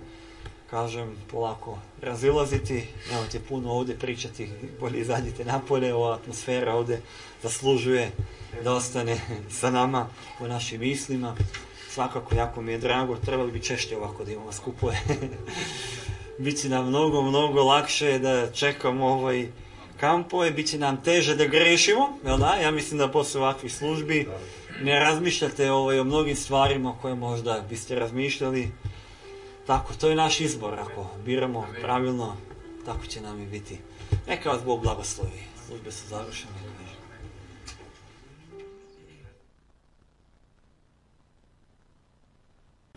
kažem, polako razilaziti, nemojte puno ovdje pričati, bolje izađite napolje, ova atmosfera ovdje zaslužuje da ostane sa nama po našim mislima. Svakako, jako mi je drago, trebali bi češće ovako da imamo skupove. Biće nam mnogo, mnogo lakše da čekamo ovaj kampove, bit će nam teže da grešimo, jel da? Ja mislim da posle ovakvih službi ne razmišljate ovaj, o mnogim stvarima koje možda biste razmišljali. Tako, to je naš izbor, ako biramo pravilno, tako će nam i biti. Neka vas Bog blagoslovi, službe su završene.